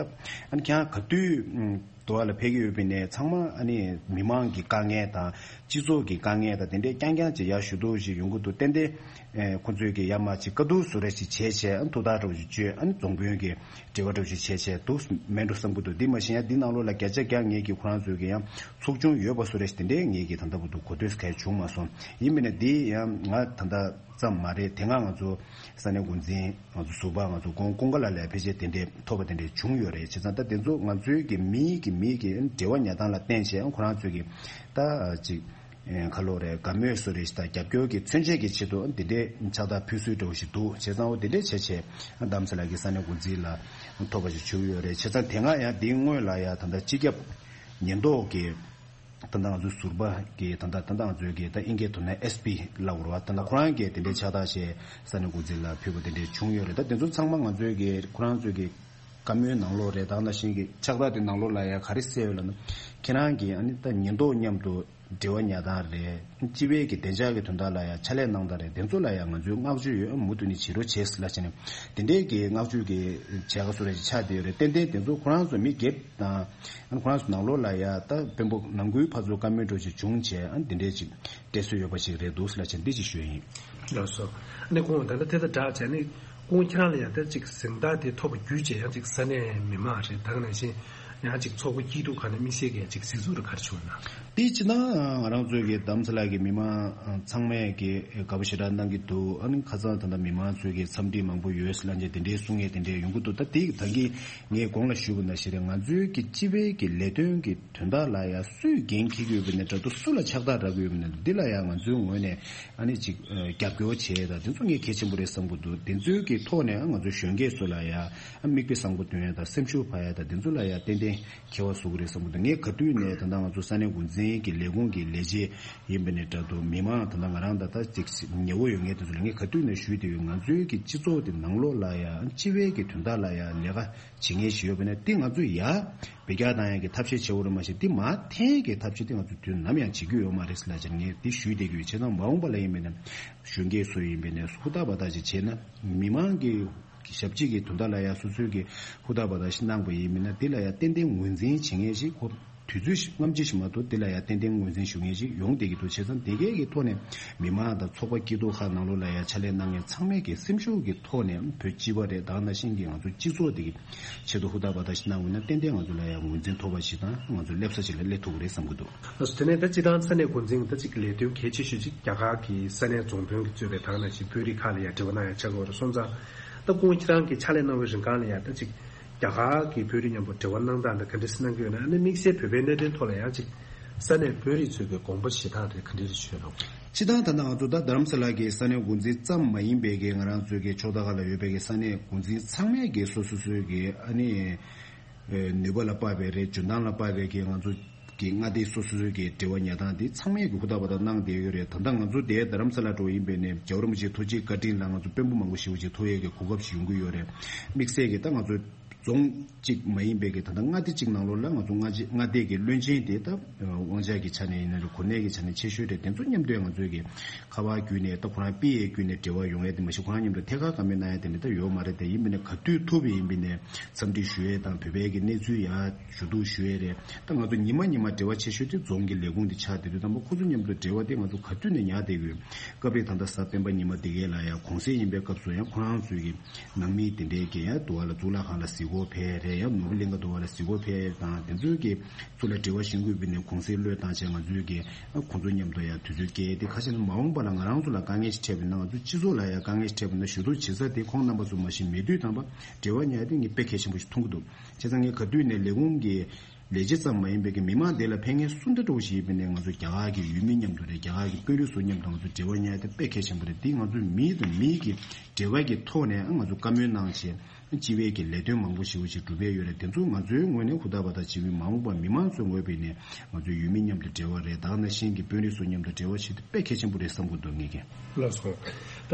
ཨ་ནི་ཁྱེད་རང་ག་དུས་འདུག་བ་ལ་ཕེབས་ཀྱི་ཡོད་པའི་ནས་ཚང་མ་ཨ་ནི་མི་མང་གི་དཀའ་ངལ་དང་སྤྱི་ཚོགས་ཀྱི་དཀའ་ངལ་དང་དེ་འདྲས་རྐྱང་རྐྱང་ཅིག་ཡར་ཞུ་གཏུག་ཅིག་ཡོང་གི་འདུག་ཏན་ཏན་ཁོ་ཚོས་ཀྱི་ཡར་མར་ཅིག་བཀའ་བསྡུར་བཟོ་རེ་ཅིག་བྱས་བྱས་ཨ་ནི་ཐུགས་ཐག་འདྲ་བོ་ཅིག་བཅོས། ཨ་ནི་རྫོང་དཔོན་གྱི་འབྲེལ་བ་འདྲ་བོ་ཅིག་བྱས་བྱས་འདུག་མེད་འགྲོ་བསམ་གྱི་འདུག་འདི་མ་གཞི་ཡང་འདི་ནང་ལོགས་ལ་བརྒྱ་ཆ་བརྒྱ་ངེད་ཀྱིས་ཁོ་རང་ཚོས་ཀྱི་ཡང་ཚོགས་ཆུང་ཡོད་པ་བཟོ་རེ་ཞིག་དེ་འདྲའི་ངེད་ཀྱིས་ད་ལྟ་བར་དུ་གོ་ཐོས་གལ་བྱུང་མ་སོང་། ཡིན་པས་ན་འདི་ཡང་ང་ད་ལྟ་ཙམ་མ་རེད། དེ་སྔ་ང་ཚོ་ས་གནས་འགོ་འཛིན་ང་ཚོ་ཟུར་པ་ང་ཚོ་ཀུན་ཀུན་དགའ་ལགས་ལ་ཕལ་ཆེར་དེ་འདྲའི་ཐོབ་པ་དེ་འདྲའི་བྱུང་ཡོད་རེད། བྱས་ཙང་ད་དེ་ཚོ་ང་ཚོའི་གི་མིའི་གི་མིའི་གི་འབྲེལ་བ་ཉར་སྟངས་ལ་བརྟེན་བྱས་ཁོ་རང་ཚོས་གི་ད་ཅིག་ཁ་ལོ་རེད་དགའ་མོས་སུ་རེད་ཞིག་དང་རྒྱབ་སྐྱོར་གྱི་མཚོན་བྱེད་ཀྱི་ཆེད་དུ་འདི་འདྲའི་ཕྱག་རྟགས་ཕུལ་སྲོལ་འདྲ་བོ་ཞིག་འདུག་བྱས་ཙང་འོ་དེ་འདྲའི་བྱས་བྱས་རྡ་རམ་ས་ལ་གི་ས་གནས་འགོ་འཛིན་ལ་ཐོབ་པ་ཞིག་བྱུང་ཡོད་རེད། བྱས་ཙང་དེ་སྔ་ཡང་འདིའི་སྔོན་ལ་ཡང་ད་ལྟ་སྤྱི་ཁྱབ་ཉེན་རྟོག་གི་ད་ལྟ་ང་ཚོའི་ཟུར་པ་གི་ད་ལྟ་ད་ལྟ་ང་ཚོའི་གི་ད་ཨིན་སྐད་ཐོག་ནས་ཨེས་པི་ལབ་དགོས་རེད་བ། ད་ལྟ་ཁོ་རང་གིས་དེ་འདྲའི་ཕྱག་རྟགས་བྱས་ས་གནས་འགོ་འཛིན་ལ་ཕུལ་བ་དེ་འདྲའི་བྱུང་ཡོད་རེད། ད་དེ་ཚོ་ཚང་མ་ང་ཚོའི་གི་ཁོ་རང་ཚོའི་གི་བཀའ་མོལ་ནང་ལོགས་རེད། ད་ནང་བཞིན་གྱི་ཕྱག་རྟགས་དེ་ནང་ལོགས་ལ་ཡང་ག་རེ་གསལ་ཡོད་ལབ་ན། ཁྱེད་རང་གིས་ཨ་ནི་ད་ཉེན་རྟོག་མཉམ་དུ་འབྲེལ་བ་ཉར་སྟངས་རེད། སྤྱི་པའི་གི་བདེ་འཇགས་ཀྱི་དོན་དག་ལ་ཡང་ཕྱག་ལས་གནང་སྟངས་རེད། དེ་ཚོ་ལ་ཡང་ང་ཚོའི་བསྔགས་བརྗོད་ཡོད། མུ་མཐུད་ནས་བྱེད་རོགས་བྱེད་ཟེར་ལབ་བྱས་ནས་དེ་འདྲའི་གི་བསྔགས་བརྗོད་ཀྱི་བྱ་དགའ་སུ་རེ་ཆགས་བསྡད་ཡོད་རེད། ཏན་ཏན་དེ་ཚོ་ཁོ་རང་ཚོ་མི་སྒེར་དང་ཨ་ནི་ཁོ་རང་ཚོ་ནང་ལོགས་ལ་ཡང་ད་དཔོན་པོ་ནང་ཁུལ་ཕར་ཚུར་བཀའ་མོལ་འདྲ་ཞིག་བྱུང་བྱས་ཨ་ནི་དེ་འདྲའི་ཅིག་སྤྲད་སྲོལ་ཡོད་པ་ཞིག་རེད་འདུག་ཟེར་ལབ་བྱས་འདི་ཅིག་ཞུས་ཡིན། ལགས་སོ། ཨ་ནི་ཁོང་ད་ལྟ་དེ་ལྟར་བསྒྲགས་བྱས་ནས་ཁོང་ཁྱེད་རང་ལ་ཡང་ད་ཅིག་གཟེངས་རྟགས་དེ་ཐོབ་པ་བརྒྱུད་བྱས་ཡང་ཅིག་ས་གནས་མི་མང་རེད། ད་ག་ནང་བཞིན་ ཡང་ཅིག་ཚོགས་པ་སྐྱིད་སྡུག་ཁག་ནས་དམིགས་བསལ་གྱི་ཅིག་གཟིགས་ཚུལ་རེ་ག་རེ་བྱུང་ན། དེ་སྤྱིར་བཏང་ང་རང་ཚོའི་གི་རྡ་རམ་ས་ལ་གི་མི་མང་ཚང་མས་གི་དགའ་པོ་ཞེ་དྲག་གནང་གི་འདུག་ཨ་ནི་ཁ་སང་ད་ལྟ་མི་མང་ཚོའི་གི་འཚམས་འདྲི་མང་པོ་ཡོད་ལབ་མཁན་དེ་འདྲའི་གསུང་མཁན་དེ་འདྲའི་ཡོང་གི་འདུག་ད་དེ་ད་གིན་ངས་གོང་ལ་ཞུས་པ་ནང་བཞིན་རེད། ང་ཚོའི་གི་སྤྱི་པའི་གི་ལས་དོན་གི་དོན་དག་ལ་ཡ་སུས་འགན་འཁྱེར་གྱི་ཡོད་པ་ནས་འདྲ་འདུག་སུ་ལ་ཕྱག་རྟགས་རག་གི་ཡོད་པ་ནས་འདི་ལ་ཡ་ང་ཚོའི་ངོས་ནས་ཨ་ནི་ཅིག་རྒྱབ་སྐྱོར་བྱེད་ཡ་ད་དེ་ཚོ་ངས་གལ་ཆེན་པོ་རེད་བསམ་གི་འདུག་དེ་ཚོའི་གི་ཐོག་ནས་ང་ཚོ་གཞོན་སྐྱེས་ཚོ་ལ་ཡ་ཨ་མིག་དཔེ་བཟང་པོ་སྟོན་ཡ་ད་སེམས་ཤུགས་འཕར་ཡ་ད་དེ་ཚོ་ལ་ཡ་ཏན་ཏན་ཁྱད་པར་བཟོ་གི་རེད་བསམ་གི་འདུག་ངས་ག་དུས་ནས་ད་ལྟ་ང་ཚོ་ས་གནས་འགོ་འཛིན་གྱི་ལས་ཁུངས་ཀྱི་ལས་བྱེད་ཡིན་པ་ནས་འདྲ་འདུག་མི་མང་ད་ལྟ་ང་རང་ད་ལྟ་ཅིག་ཉེ་བོ་ཡོད་མཁན་དེ་ཚོ་ལ་ངས་ག་དུས་ནས་ཞུས་བསྡད་ཡོད། ང་ཚོའི་གི་སྤྱི་ཚོགས་དེ་ནང་ལོགས་ལ་ཡ་སྤྱི་པའི་གི་དོན་དག་ལ་ཡ་ལས་ཀ་བྱེད་མཁན་ཞིག་ཡོད་པ་ནས་དེ་ང་ཚོས་ཡ་བེད་སྤྱོད་བཏང་ཡ་གི་ཐབས་ཤེས་བྱེད་དགོས་རེད། མ་གཞི་དེ་མ་མཐའི་གི་ཐབས་ཤེས་དེ་ང་ཚོས་དུས་ནམ་ཡང་བྱེད་རྒྱུ་ཡོད་མ་རེད་ལབ་བྱས་ངས་དེ་ཞུས་བསྡད་ཀྱི་ཡོད། བྱས་ཙང་མ་འོངས་པ་ལ་ཡིན་པ་ནས་གཞོན་སྐྱེས་ཚོ་ཡིན་པ་ནས་ཧུར་ཐག་འབད་ཐག་ཅིག་བྱས་ན་མི་མང་གི་ཞབས་ཕྱི་གི་དོན་དག་ལ་ཡ་སོ་སོའི་གི་ཧུར་ཐག་འབད་ཐག་ཞིག་གནང་པ་ཡིན་མིན་ན་དེ་ལ་ཡ་ཏན་ཏན་ངོས་འཛིན་བྱེད་མཁན་ཞིག་ཁོ་དུས་ཚོད་ཞིག་སྔ་ཕྱི་ཞིག་མ་གཏོགས་དེ་ལ་ཡ་ཏན་ཏན་ངོས་འཛིན་ཞུ་མཁན་ཞིག་ཡོང་བསྡད་ཀྱི་འདུག་བྱས་ཙང་དེ་གའི་གི་ཐོག་ནས་མི་མང་དང་ཚོགས་པ་སྐྱིད་སྡུག་ཁག་ནང་ལོགས་ལ་ཡ་ཕྱག་ལས་གནང་མཁན་ཚང་མས་གི་སེམས་ཤུགས་ཀྱི་ཐོག་ནས་བོད་སྤྱི་པ་རེད། ད་ག་ནང་བཞིན་གི་ང་ཚོ་སྤྱི་ཚོགས་དེ་གི་ཆེད་དུ་ཧུར་ཐག་འབད་ཐག་ཞིག་གནང་དགོས་ན་ཏན་ཏན་ང་ཚོ་ལ་ཡ་ངོས་འཛིན་ཐོབ་པ་ཞིག་དང་ང་ཚོ་སླེབས་ས་ཞིག་ལ་སླེབས་ཐུབ་ཀྱི་རེད་བསམ་གྱི་འདུག་ལགས་སོ། དེ་ནས་ད་སྤྱི་བཏང་ས་གནས་འགོ་འཛིན་ད་ཅིག་ལས་དོན་གལ་ཆེ་ཤོས་ཅིག་རྒྱ་གར་གྱི་ས་གནས་རྫོང་དཔོན་གྱིས་གཙོས་པའི་ད་ག་ནང་བཞིན་དཔོན་རིགས་ཁག་ལ་ཡ་འབྲེལ་བ་གནང་ཡ་ཆགས་ཀྱི་ཡོད་རེད། སོང་ཙང་ད་ཁོང་ཁྱེད་རང་གིས་ཕྱག་ལས་གནང་བའི་རིང་གང་ལ་ཡ་ད་ཅིག་རྒྱ་གར་གྱི་དཔོན་རིགས་མཉམ་པོ་འབྲེལ་བ་གནང་སྟངས་དེ་ག་འདྲས་གནང་གི་ཡོད་ན། ཨ་ནི་དམིགས་བསལ་བོད་པའི་གནད་དོན་ཐོག་ལ་ཡང་ཅིག་ས་གནས་དཔོན་རིགས་ཚོས་ཀྱི་དགོངས་པ་བཞེས་སྟངས་དེ་ག་འདྲས་རེད་བྱུང་ཡོད་ན། སྤྱིར་བཏང་ད་ལྟ་ང་ཚོ་ད་རྡ་རམ་ས་ལ་གི་ས་གནས་འགོ་འཛིན་ཙམ་མ་ཡིན་པའི་གི་ང་རང་ཚོའི་གི་ཕྱོགས་མཐའ་ཁག་ལ་ཡོད་པའི་གི་ས་གནས་འགོ་འཛིན་ཚང་མས་གི་སོ་སོ་སོའི་གི་ཨ་ནི་ནུས་པ་ལ་དཔག་པའི་རེད། འཇོན་ཐང་ལ་དཔག་པའི་གི་ང་ཚོ་གི་མངའ་སྡེ་སོ་སོ་སོའི་གི་འབྲེལ་བ་ཉར་སྟངས་དེ་ཚང་མས་གི་ཧུར་ཐག་འབད་ཐག་གནང་བསྡད་ཡོད་རེད། ད་ལྟ་ང་ཚོ་དེ་རྡ་རམ་ས་ལ་འགྲོ་ཡིན་པའི་ནས་རྒྱལ་བ་རིན་པོ་ཆེའི་ཐུགས་རྗེའི་བཀའ་དྲིན་ལ་ང་ཚོ་དཔོན་པོ་མང་པོ་ཞེ་པོ་ཅིག་ཐུག་ཡས་གི་གོ་སྐབས་ཤིག་ཡོང་གི་ཡོད་རེད། དམིགས་བསལ་གི་ད་ང་ཚོ་རྫོང་གཅིག་མ་ཡིན་པའི་གི་ད་ལྟ་མངའ་སྡེ་གཅིག་ནང་ལོགས་ལ་ང་ཚོ་མངའ་སྡེ་མངའ་སྡེ་གི་བློན་ཆེན་དེ་ད་དབང་ཆ་གི་ཆ་ནས་ཡིན་ན་རེད། གོ་གནས་ཀྱི་ཆ་ནས་ཆེ་ཤོས་རེད། དེ་ཚོ་མཉམ་དུ་ང་ཚོའི་གི་ཁ་པར་བརྒྱུད་ནས་ད་ཁོ་རང་པི་ཨེ་བརྒྱུད་ནས་འབྲེལ་བ་ཡོང་ཡས་དེ་མ་གཞི་ཁོ་རང་མཉམ་དུ་ཐད་ཀར་བཀའ་མོལ་གནང་ཡས་དེ་འདྲ་ད་ཡོད་མ་རེད། དེ་ཡིན་པ་ནས་ག་དུས་ཐུབ་པ་ཡིན་པ་ནས་འཚམས་འདྲི་ཞུ་ཡས་དང་བོད་པའི་གི་གནས་ཚུལ་ཡར་ཞུ་གཏུག་ཞུ་ཡས་རེད། ད་ང་ཚོ་ཉི་མ་ཉི་མ་འབྲེལ་བ་ཆེ་ཤོས་དེ་རྫོང་གི་ལས་ཁུངས་དེ་ཆགས་བསྡད་དུས་ཙམ་པ་ཁོ་ཚོ་མཉམ་དུ་འབྲེལ་བ་དེ་ང་ཚོ་ག་དུས་ནས་ཉར་བསྡད་ཡོད། སྐབས་རེ་ད་ལྟ་གཟའ་སྤེན་པ་ཉི་མ་དེ་གའི་ལ་ཡང་གུང་སེང་ཡིན་པའི་སྐབས་སུ་ཡང་ཁོ་རང་ཚོའི་གི་ནང་མི་དེ་འདྲའི་གི་ཡང་འདུ་བ་ལ་གཙུག་ལག་ཁང་ལ་གཟིགས་སྐོར་ཕེབས་རེད། ཡང་ནོར་བུ་གླིང་ག་འདུ་བ་ལ་གཟིགས་སྐོར་ཕེབས་དང་དེ་ཚོའི་གི་ཚུར་ལ་འབྲེལ་བ་བྱེད་དགོས་པའི་ནས་གུང་སེང་བློས་བཏང་བྱས་ང་ཚོའི་གི་ཁོང་ཚོ་མཉམ་དུ་ཡང་དུས་ཚོད་བསྐྱལ་ཏེ་ཁ་ཤས་ནི་མ་འོངས་པ་ལ་ང་རང་ཚོ་ལ་དཀའ་ངལ་ཞིག་འཕྲད་པ་ཡིན་ན་ང་ཚོ་སྤྱི་ཚོགས་ལ་ཡང་དཀའ་ངལ་ཞིག་འཕྲད་པ་ཡིན་ན་ཞུ་གཏུག་བྱེད་ས་དེ་ཁོང་རྣམ་པ་ཚོ་མ་གཞི་མེད་དུས་ཙམ་པ་འབྲེལ་བ་ཉར་ཡ་དེ་ངས་དཔེ་གལ་ཆེན་པོ་ཞིག་མཐོང་གི་འདུག་བྱས་ཙང་ངས་ག་དུས་ནས་ལས་ཁུངས་ཀྱི་ལས་བྱེད་ཙམ་མ་ཡིན་པའི་གི་མི་མང་དེ་ལ་ཕན་ངེས་སུ་འདྲ་འགྲོ་ཞིག་ཡིན་པ་ནས་ང་ཚོ་རྒྱ་གར་གྱི་ཡུལ་མི་མཉམ་དུ་རེད། རྒྱ་གར་གྱི་དཔོན་རིགས་ཚོ་མཉམ་དུ་ང་ཚོ་འབྲེལ་བ་ཉར་ཡ་དེ་དཔེ་གལ་ཆེན་པོ་རེད། དེ་ང་ཚོ་མི་དང་མི་གི་འབྲེལ་བ་གི་ཐོག་ནས་ང་ཚོ་བཀའ་མོལ་གནང་བྱས་སྤྱི་པའི་གི་ལས་དོན་མང་པོ་ཞིག་ཞིག་སྒྲུབ་ཡས་ཡོད་རེད། དེ་ཚོ་ང་ཚོའི་ངོས་ནས་ཧུར་ཐག་འབད་ཐག་བྱེད་ཀྱི་ཡོད། མ་འོངས་པར་མི་མང་ཚོའི་ངོས་ནས་ང་ཚོའི་ཡུལ་མི་མཉམ་དུ་འབྲེལ་བ་རེད། ད་ག་ནང་བཞིན་གྱི་དཔོན་རིགས་ཚོ་མཉམ་དུ་འབྲེལ་བ་བྱེད་དེ་དཔེ་གལ་ཆེན་པོ་རེད་བསམ་གྱི་འདུག་ངེད་ཀྱིས། ལགས་སོ། ད་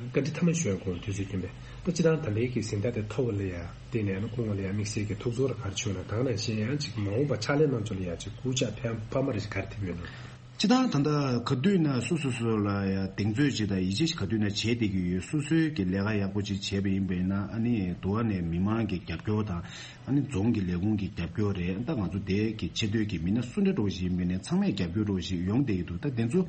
བཀའ་འདྲི་མཐའ་མ་ཞུ་ཡ་གོང་དུས་ཚོད་རྐྱེན་པས་ད་སྤྱིར་བཏང་ད་ལྟའི་གི་གཟེངས་རྟགས་དེ་ཐོབ་པ་ལ་ཡ་བརྟེན་ནས་ཨ་ནི་སྐུ་ངོ་ལ་ཡ་དམིགས་བསལ་གྱི་ཐུགས་ཚོར་ག་རེ་བྱུང་ན། ད་ག་ནང་བཞིན་ཡང་ཅིག་མ་འོངས་པ་ཕྱག་ལས་གནང་ཕྱོགས་ལ་ཡ་ཅིག་སྐུལ་ལྕག་ཕན་འཕར་མ་རེ་ཞིག་ག་རེ་ཐེབས་ཡོད་ན། སྤྱིར་བཏང་ད་ལྟ་ག་དུས་ན་སོ་སོ་སོ་ལ་ཡ་གདེང་ཚོད་ཅིག་དང་ཡིད་ཆེས་ཅིག་ག་དུས་ན་བྱས་བསྡད་ཀྱི་ཡོད། སོ་སོའི་གི་ལས་ཀ་ཡག་པོ་ཅིག་བྱས་པ་ཡིན་པས་ན་ཨ་ནི་དུ་བ་ནས་མི་མང་གི་རྒྱབ་སྐྱོར་དང་ཨ་ནི་རྫོང་གི་ལས་ཁུངས་ཀྱི་རྒྱབ་སྐྱོར་རེད། ད་ང་ཚོ་དེ་གི་ཆེ་མཐོའི་གི་མི་སྣ་སུ་འདྲ་འགྲོ་བཞིན་མི་སྣ་ཚང་མས་རྒྱབ་སྐྱོར་འགྲོ་བཞིན་ཡོང་བསྡད་ཀྱི་འདུག་ད་དེ་ཚོ་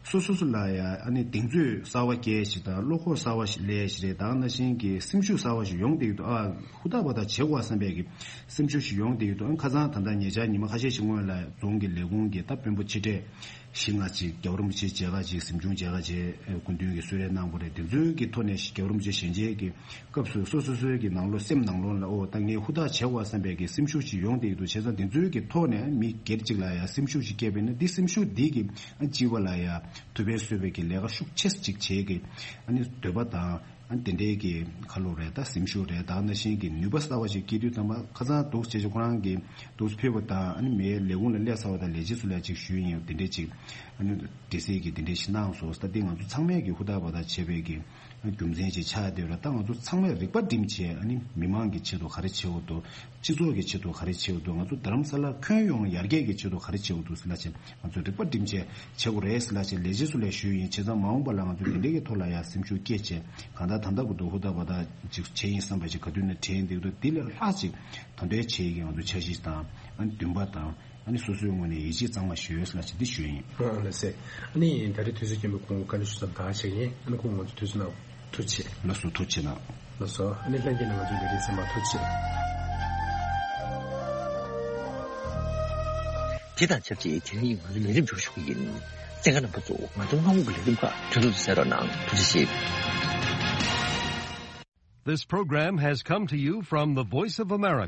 སོ་སོ་སོ་ལ་ཡ་ཨ་ནི་གདེང་ཚོད་གསར་བ་སྐྱེལ་ཞིག་དང་བློ་ཁོག་གསར་བ་ཞིག་སླེབས་ཞིག་རེད། ད་ག་ནང་བཞིན་གྱི་སེམས་ཤུགས་གསར་བ་ཞིག་ཡོང་བསྡད་ཀྱི་འདུག་ཨ་ཧུར་ཐག་འབད་ཐག་བྱེད་དགོས་བསམ་པའི་གི་སེམས་ཤུགས་ཤིག་ཡོང་བསྡད་ཀྱི་འདུག་ཨ་ཁ་སང་ད་ལྟ་ཉེ་ཆར་ཉི་མ་ཁ་ཤས་ཤིག་སྔོན་ལ་རྫོང་གི་ལས་ཁུངས་ཀྱི་ད་དཔོན་པོ་ཆེ་གྲས་བཞི་ལྔ་ཅིག་རྒྱལ་བ་རིན་པོ་ཆེའི་མཇལ་ཁ་ཅིག་གཟིམ་ཆུང་མཇལ་ཁ་བྱས་སྐུ་མདུན་གྱིས་གསོལ་རས་གནང་བ་རེད། དེ་ཚོའི་གི་ཐོག་ནས་རྒྱལ་བ་རིན་པོ་ཆེ་ཞལ་མཇལ་གྱི་སྐབས་སུ་སོ་སོ་སོའི་གི་ནང་ལོགས་སེམས་ནང་ལོགས་ལ་ཨོ་ད་ངས་ཧུར་ཐག་བྱེད་དགོས་བསམ་པའི་གི་སེམས་ཤུགས་ཤིག་ཡོང་བསྡད་ཀྱི་འདུག་བྱས་ཙང་དེ་ཚོའི་གི་ཐོག་ནས་མི་སྒེར་གཅིག་ལ་ཡ་སེམས་ཤུགས་ཤིག་སྐྱེས་པས་ན་འདི་སེམས་ཤུགས་འདི་གི་ཨ་སྤྱི་པ་ལ་ཡ་ཐུབ་པའི་གསོས་པའི་གི་ལས་ཀ་ཤུགས་ཆེ་ཅིག་བྱེད་གི་ཨ་ནི་འདོད་པ་དང་ཨ་དེ་འདྲའི་གི་ཁ་ལོ་རེད། ད་སེམས་ཤུགས་རེད། ད་ནང་བཞིན་གི་ནུས་པ་གསར་བ་ཞིག་སྐྱེས་དུས་ཙམ་པ་ཁ་སང་འདུག་བྱས་ཅིག་ཁོ་རང་གི་འདུག་ཕེབས་པ་དང་ཨ་ནི་མའི་ལས་ཁུངས་ལ་སླེབས་ཚར་བ་དང་ལས་བྱེད་ཚོ་ལ་ཅིག་ཞུས་ཡིན། དེ་འདྲའི་ཅིག་ཨ་ནི་འདྲི་སྲིད་ཀྱི་དེ་འདྲའི་ཞིག་གནང་སོང་། ད་འདི་ང་ཚོ་ཚང་མས་ཀྱི་ཧུར་ཐག་འབད་ཐག་བྱས་པའི་གི་རྒྱུ་མཚན་ཅིག་ཆགས་བསྡད་ཡོད་རེད། ད་ང་ཚོ་ཚང་མས་རིག་པ་བསྒྲིམས་བྱས་ཨ་ནི་མི་མང་གི་ཆེད་དུ་ག་རེ་བྱེད་དགོས་འདུག་སྤྱི་ཚོགས་ཀྱི་ཆེད་དུ་ག་རེ་བྱེད་དགོས་འདུག་ང་ཚོ་རྡ་རམ་ས་ལ་ཁྱོན་ཡོངས་ཡར་རྒྱས་ཀྱི་ཆེད་དུ་ག་རེ་བྱེད་དགོས་འདུག་ཟེར་ལབ་བྱས་ང་ཚོ་རིག་པ་བསྒྲིམས་བྱས་བྱེད་དགོས་རེད་ཟེར་ལབ་བྱས་ལས་བྱེད་ཚོ་ལ་ཞུས་ཡིན། བྱས་ཙང་མ་འོངས་པ་ལ་ང་ཚོ་དེ་འདྲའི་གི་ཐོག་ལ་ཡང་སེམས་ཤུགས་བསྐྱེད་བྱས་གང་ལྟར་ད་ལྟ་བར་དུ་ཧུར་ཐག་འབད་ཐག་ཅིག་བྱས་ཡིན་བསམ་པ་ཞིག་ག་དུས་ནས་དྲན་འདུག་འདི་ལས་ལྷག་ཅིག་ད་ལྟའི་བྱས་ཀྱི་ང་ཚོ་འཆར་གཞི་དང་ཨ་ནི་འདུན་པ་དང་། ཨ་ནི་སོ་སོའི་ངོས་ནས་ཡིད་ཆེས་གཙང་མ་ཞུ་ཡོད་ལ་ཅི་འདི་ཞུ་ཡིན། ཨ་ལགས་སེ། ཨ་ནི་ད་རེས་དུས་ཚོད་རྐྱེན་པས་ཁོང་བཀའ་འདྲི་ཞུ་མཚམས་ད་ག་བྱེད་ཀྱི་ཡིན། ཨ་ནི་ཁོང་ང་ཚོ་དུས་ཚོད་ནང་ཐུགས་རྗེ་ཆེ། ལགས་སོ་ཐུགས་རྗེ་གནང་། ལགས་སོ། ཨ་ནི་ལྷན་རྒྱས་ནས་ང་ཚོའི་ལས་རིམ་གསན་པར་ཐུགས་རྗེ་ཆེ། དེ་དང་ཆབས་ཅིག་དེ་རིང་ཡིན་ང་ཚོའི་ལས་རིམ་འཇུག་ཞུ་གི་ཡིན། གསན་མཁན་རྣམ་པ་ཚོ་ང་ཚོའི་སྔ་དགོང་གི་ལས་རིམ་ཁག་དུས་ཚོད་དུ་གསན་རོགས་གནང་། ཐུགས་རྗེ་ཆེ། This program has come to you from the Voice of America.